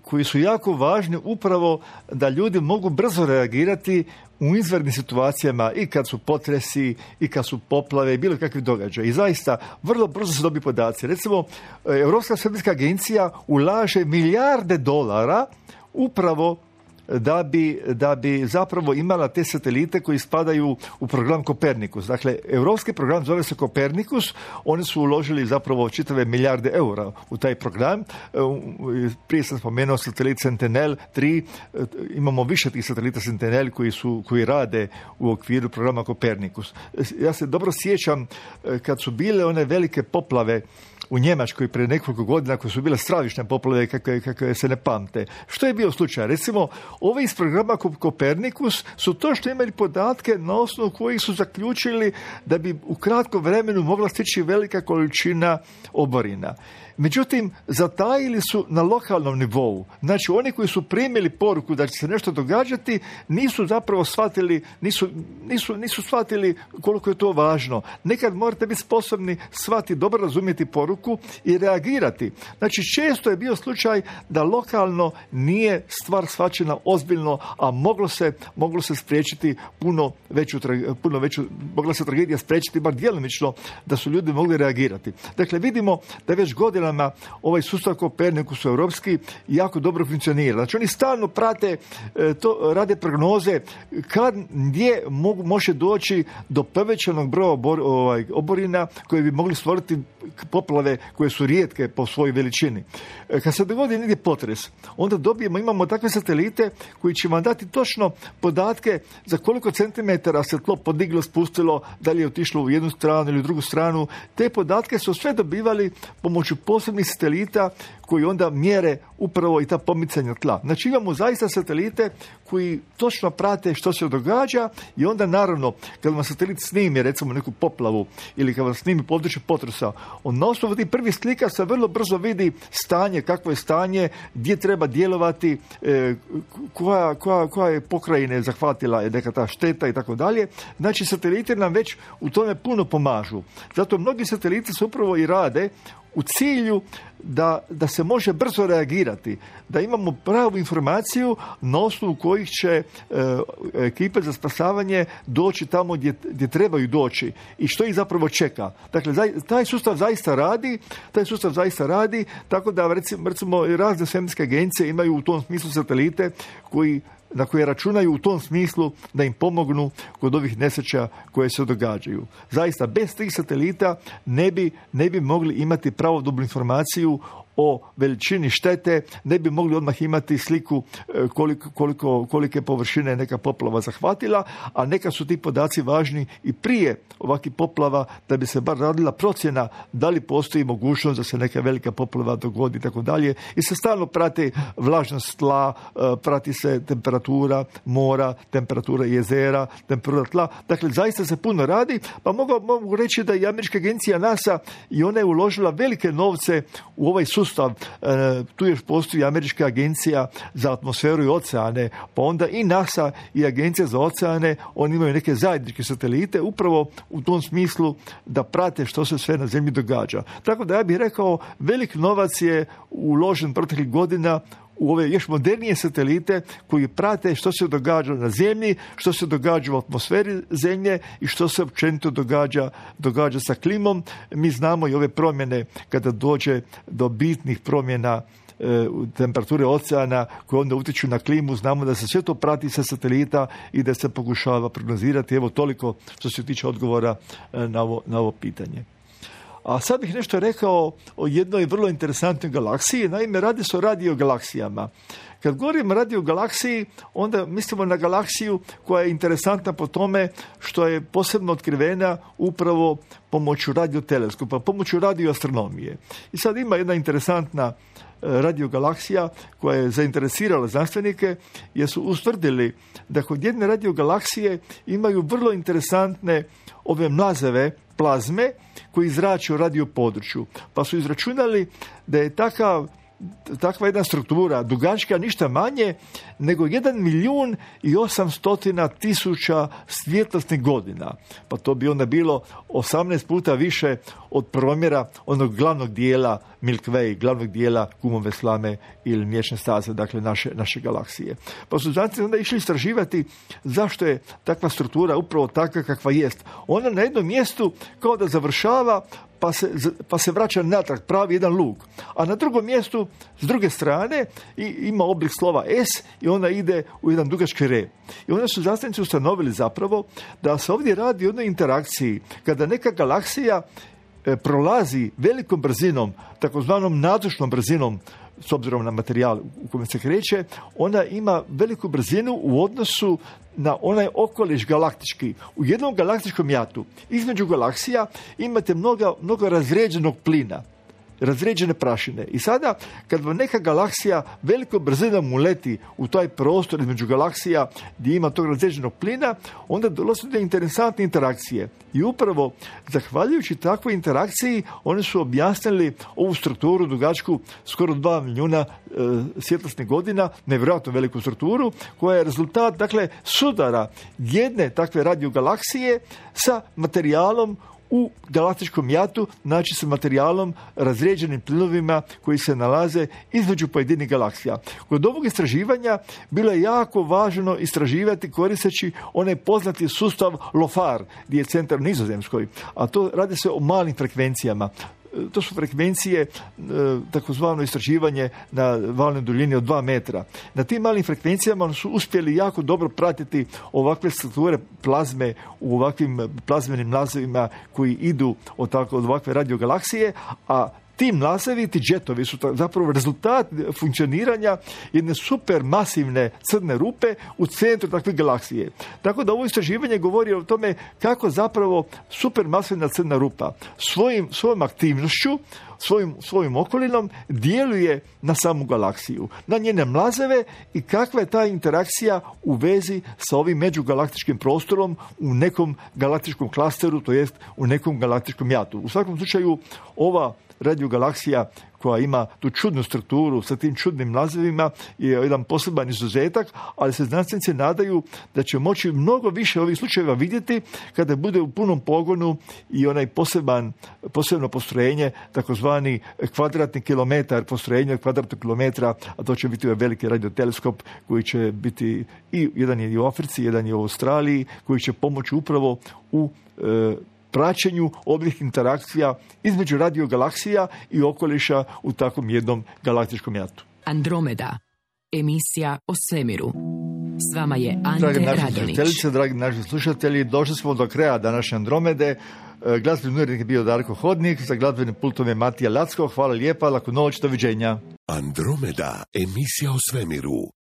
koji su jako važni upravo da ljudi mogu brzo reagirati u izvanrednim situacijama, i kad su potresi, i kad su poplave, i bilo kakvi događaj. I zaista, vrlo brzo se dobiju podaci. Recimo, Europska svemirska agencija ulaže milijarde dolara upravo da bi zapravo imala te satelite koji spadaju u program Kopernikus. Dakle, europski program zove se Kopernikus, oni su uložili zapravo čitave milijarde eura u taj program. Prije sam spomenuo satelit Sentinel-3, imamo više tih satelita Sentinel koji rade u okviru programa Kopernikus. Ja se dobro sjećam kad su bile one velike poplave u Njemačkoj prije nekoliko godina, koje su bile stravične poplave kakve se ne pamte. Što je bio slučaj? Recimo, ovi iz programa Kopernikus su točno imali podatke na osnovu kojih su zaključili da bi u kratkom vremenu mogla stići velika količina oborina. Međutim, zatajili su na lokalnom nivou. Znači, oni koji su primili poruku da će se nešto događati, nisu zapravo shvatili, nisu shvatili koliko je to važno. Nekad morate biti sposobni shvatiti, dobro razumjeti poruku i reagirati. Znači, često je bio slučaj da lokalno nije stvar shvaćena ozbiljno, a moglo se spriječiti mogla se tragedija spriječiti bar djelomično da su ljudi mogli reagirati. Dakle, vidimo da već godinama ovaj sustav Kopernikus europski jako dobro funkcionira. Znači, oni stalno prate to, rade prognoze gdje može doći do povećanog broja oborina koje bi mogli stvoriti poplave koje su rijetke po svojoj veličini. Kad se dogodi negdje potres, onda imamo takve satelite koji će vam dati točno podatke za koliko centimetara se tlo podiglo, spustilo, da li je otišlo u jednu stranu ili u drugu stranu. Te podatke su sve dobivali pomoću posebnih satelita koji onda mjere upravo i ta pomicanja tla. Znači, imamo zaista satelite koji točno prate što se događa i onda naravno kad vam satelit snimi recimo neku poplavu ili kad vam snimi područje potresa, on na osnovu tih prvih slika se vrlo brzo vidi stanje, kakvo je stanje, gdje treba djelovati, koja je pokrajine zahvatila je neka ta šteta i tako dalje. Znači, sateliti nam već u tome puno pomažu. Zato mnogi sateliti se upravo i rade u cilju da se može brzo reagirati, da imamo pravu informaciju na osnovu kojih će ekipe za spasavanje doći tamo gdje trebaju doći i što ih zapravo čeka. Dakle, taj sustav zaista radi, tako da recimo razne svemirske agencije imaju u tom smislu satelite na koje računaju u tom smislu da im pomognu kod ovih nesreća koje se događaju. Zaista, bez tih satelita ne bi mogli imati pravodobnu informaciju o veličini štete, ne bi mogli odmah imati sliku kolike površine neka poplava zahvatila, a neka su ti podaci važni i prije ovakvih poplava da bi se bar radila procjena da li postoji mogućnost da se neka velika poplava dogodi i tako dalje. I se stalno prati vlažnost tla, prati se temperatura mora, temperatura jezera, temperatura tla. Dakle, zaista se puno radi, pa mogu reći da i američka agencija NASA i ona je uložila velike novce u ovaj sustav. Tu još postoji američka agencija za atmosferu i oceane, pa onda i NASA i agencija za oceane, oni imaju neke zajedničke satelite upravo u tom smislu da prate što se sve na zemlji događa. Tako da ja bih rekao, velik novac je uložen proteklih godina u ove još modernije satelite koji prate što se događa na zemlji, što se događa u atmosferi zemlje i što se općenito događa sa klimom. Mi znamo i ove promjene kada dođe do bitnih promjena temperature oceana koje onda utječu na klimu, znamo da se sve to prati sa satelita i da se pokušava prognozirati. Evo toliko što se tiče odgovora na ovo pitanje. A sad bih nešto rekao o jednoj vrlo interesantnoj galaksiji. Naime, radi se o radiogalaksijama. Kad govorim o radiogalaksiji, onda mislimo na galaksiju koja je interesantna po tome što je posebno otkrivena upravo pomoću radioteleskopa, pomoću radioastronomije. I sad ima jedna interesantna radiogalaksija koja je zainteresirala znanstvenike jer su ustvrdili da kod jedne radiogalaksije imaju vrlo interesantne ove mlazeve, plazme koji zrače u radio području. Pa su izračunali da je takva jedna struktura dugačka ništa manje nego 1.800.000 svjetlosnih godina. Pa to bi onda bilo 18 puta više od promjera onog glavnog dijela Milky Way, glavnog dijela Kumove slame ili Mliječne staze, dakle naše galaksije. Pa su znanstvenici onda išli istraživati zašto je takva struktura upravo takva kakva jest. Ona na jednom mjestu kao da završava pa se vraća natrag, pravi jedan luk. A na drugom mjestu, s druge strane, ima oblik slova S i ona ide u jedan dugački rep. I onda su znanstvenici ustanovili zapravo da se ovdje radi o jednoj interakciji kada neka galaksija prolazi velikom brzinom, takozvanom nazočnom brzinom, s obzirom na materijal u kojem se kreće, ona ima veliku brzinu u odnosu na onaj okoliš galaktički. U jednom galaktičkom jatu između galaksija imate mnogo razređenog plina, razređene prašine. I sada, kad vam neka galaksija velikom brzinom uleti u taj prostor između galaksija gdje ima tog razređenog plina, onda dolazi do interesantne interakcije. I upravo, zahvaljujući takvoj interakciji, oni su objasnili ovu strukturu dugačku skoro 2 milijuna svjetlosnih godina, nevjerojatno veliku strukturu, koja je rezultat, dakle, sudara jedne takve radiogalaksije sa materijalom u galaktičkom jatu, znači sa materijalom, razrijeđenim plinovima koji se nalaze između pojedinih galaksija. Kod ovog istraživanja bilo je jako važno istraživati koristeći onaj poznati sustav LOFAR, gdje je centar u Nizozemskoj, a to radi se o malim frekvencijama. To su frekvencije, takozvano istraživanje na valnoj duljini od 2 metra. Na tim malim frekvencijama su uspjeli jako dobro pratiti ovakve strukture plazme u ovakvim plazmenim nazivima koji idu od ovakve radiogalaksije, a ti mlazevi, ti džetovi su zapravo rezultat funkcioniranja jedne super masivne crne rupe u centru takve galaksije. Tako da ovo istraživanje govori o tome kako zapravo super masivna crna rupa svojom aktivnošću, svojim okolinom djeluje na samu galaksiju, na njene mlazeve i kakva je ta interakcija u vezi sa ovim međugalaktičkim prostorom u nekom galaktičkom klasteru, to jest u nekom galaktičkom jatu. U svakom slučaju ova radiogalaksija koja ima tu čudnu strukturu sa tim čudnim mlazevima je jedan poseban izuzetak, ali se znanstvenici nadaju da će moći mnogo više ovih slučajeva vidjeti kada bude u punom pogonu i onaj posebno postrojenje, takozvani kvadratni kilometar, postrojenje od kvadratnog kilometra, a to će biti ovaj veliki radioteleskop koji će biti jedan je i u Africi, jedan je u Australiji, koji će pomoći upravo u praćenju ovih interakcija između radiogalaksija i okoliša u takvom jednom galaktičkom jatu. Andromeda, emisija o svemiru. S vama je Ante Radonić. Dragi naši slušatelji, došli smo do kraja današnje Andromede. Glazbeni urednik je bio Darko Hodnik, za glazbenim pultom je Matija Lacko. Hvala lijepa, laku noć, doviđenja. Andromeda, emisija o svemiru.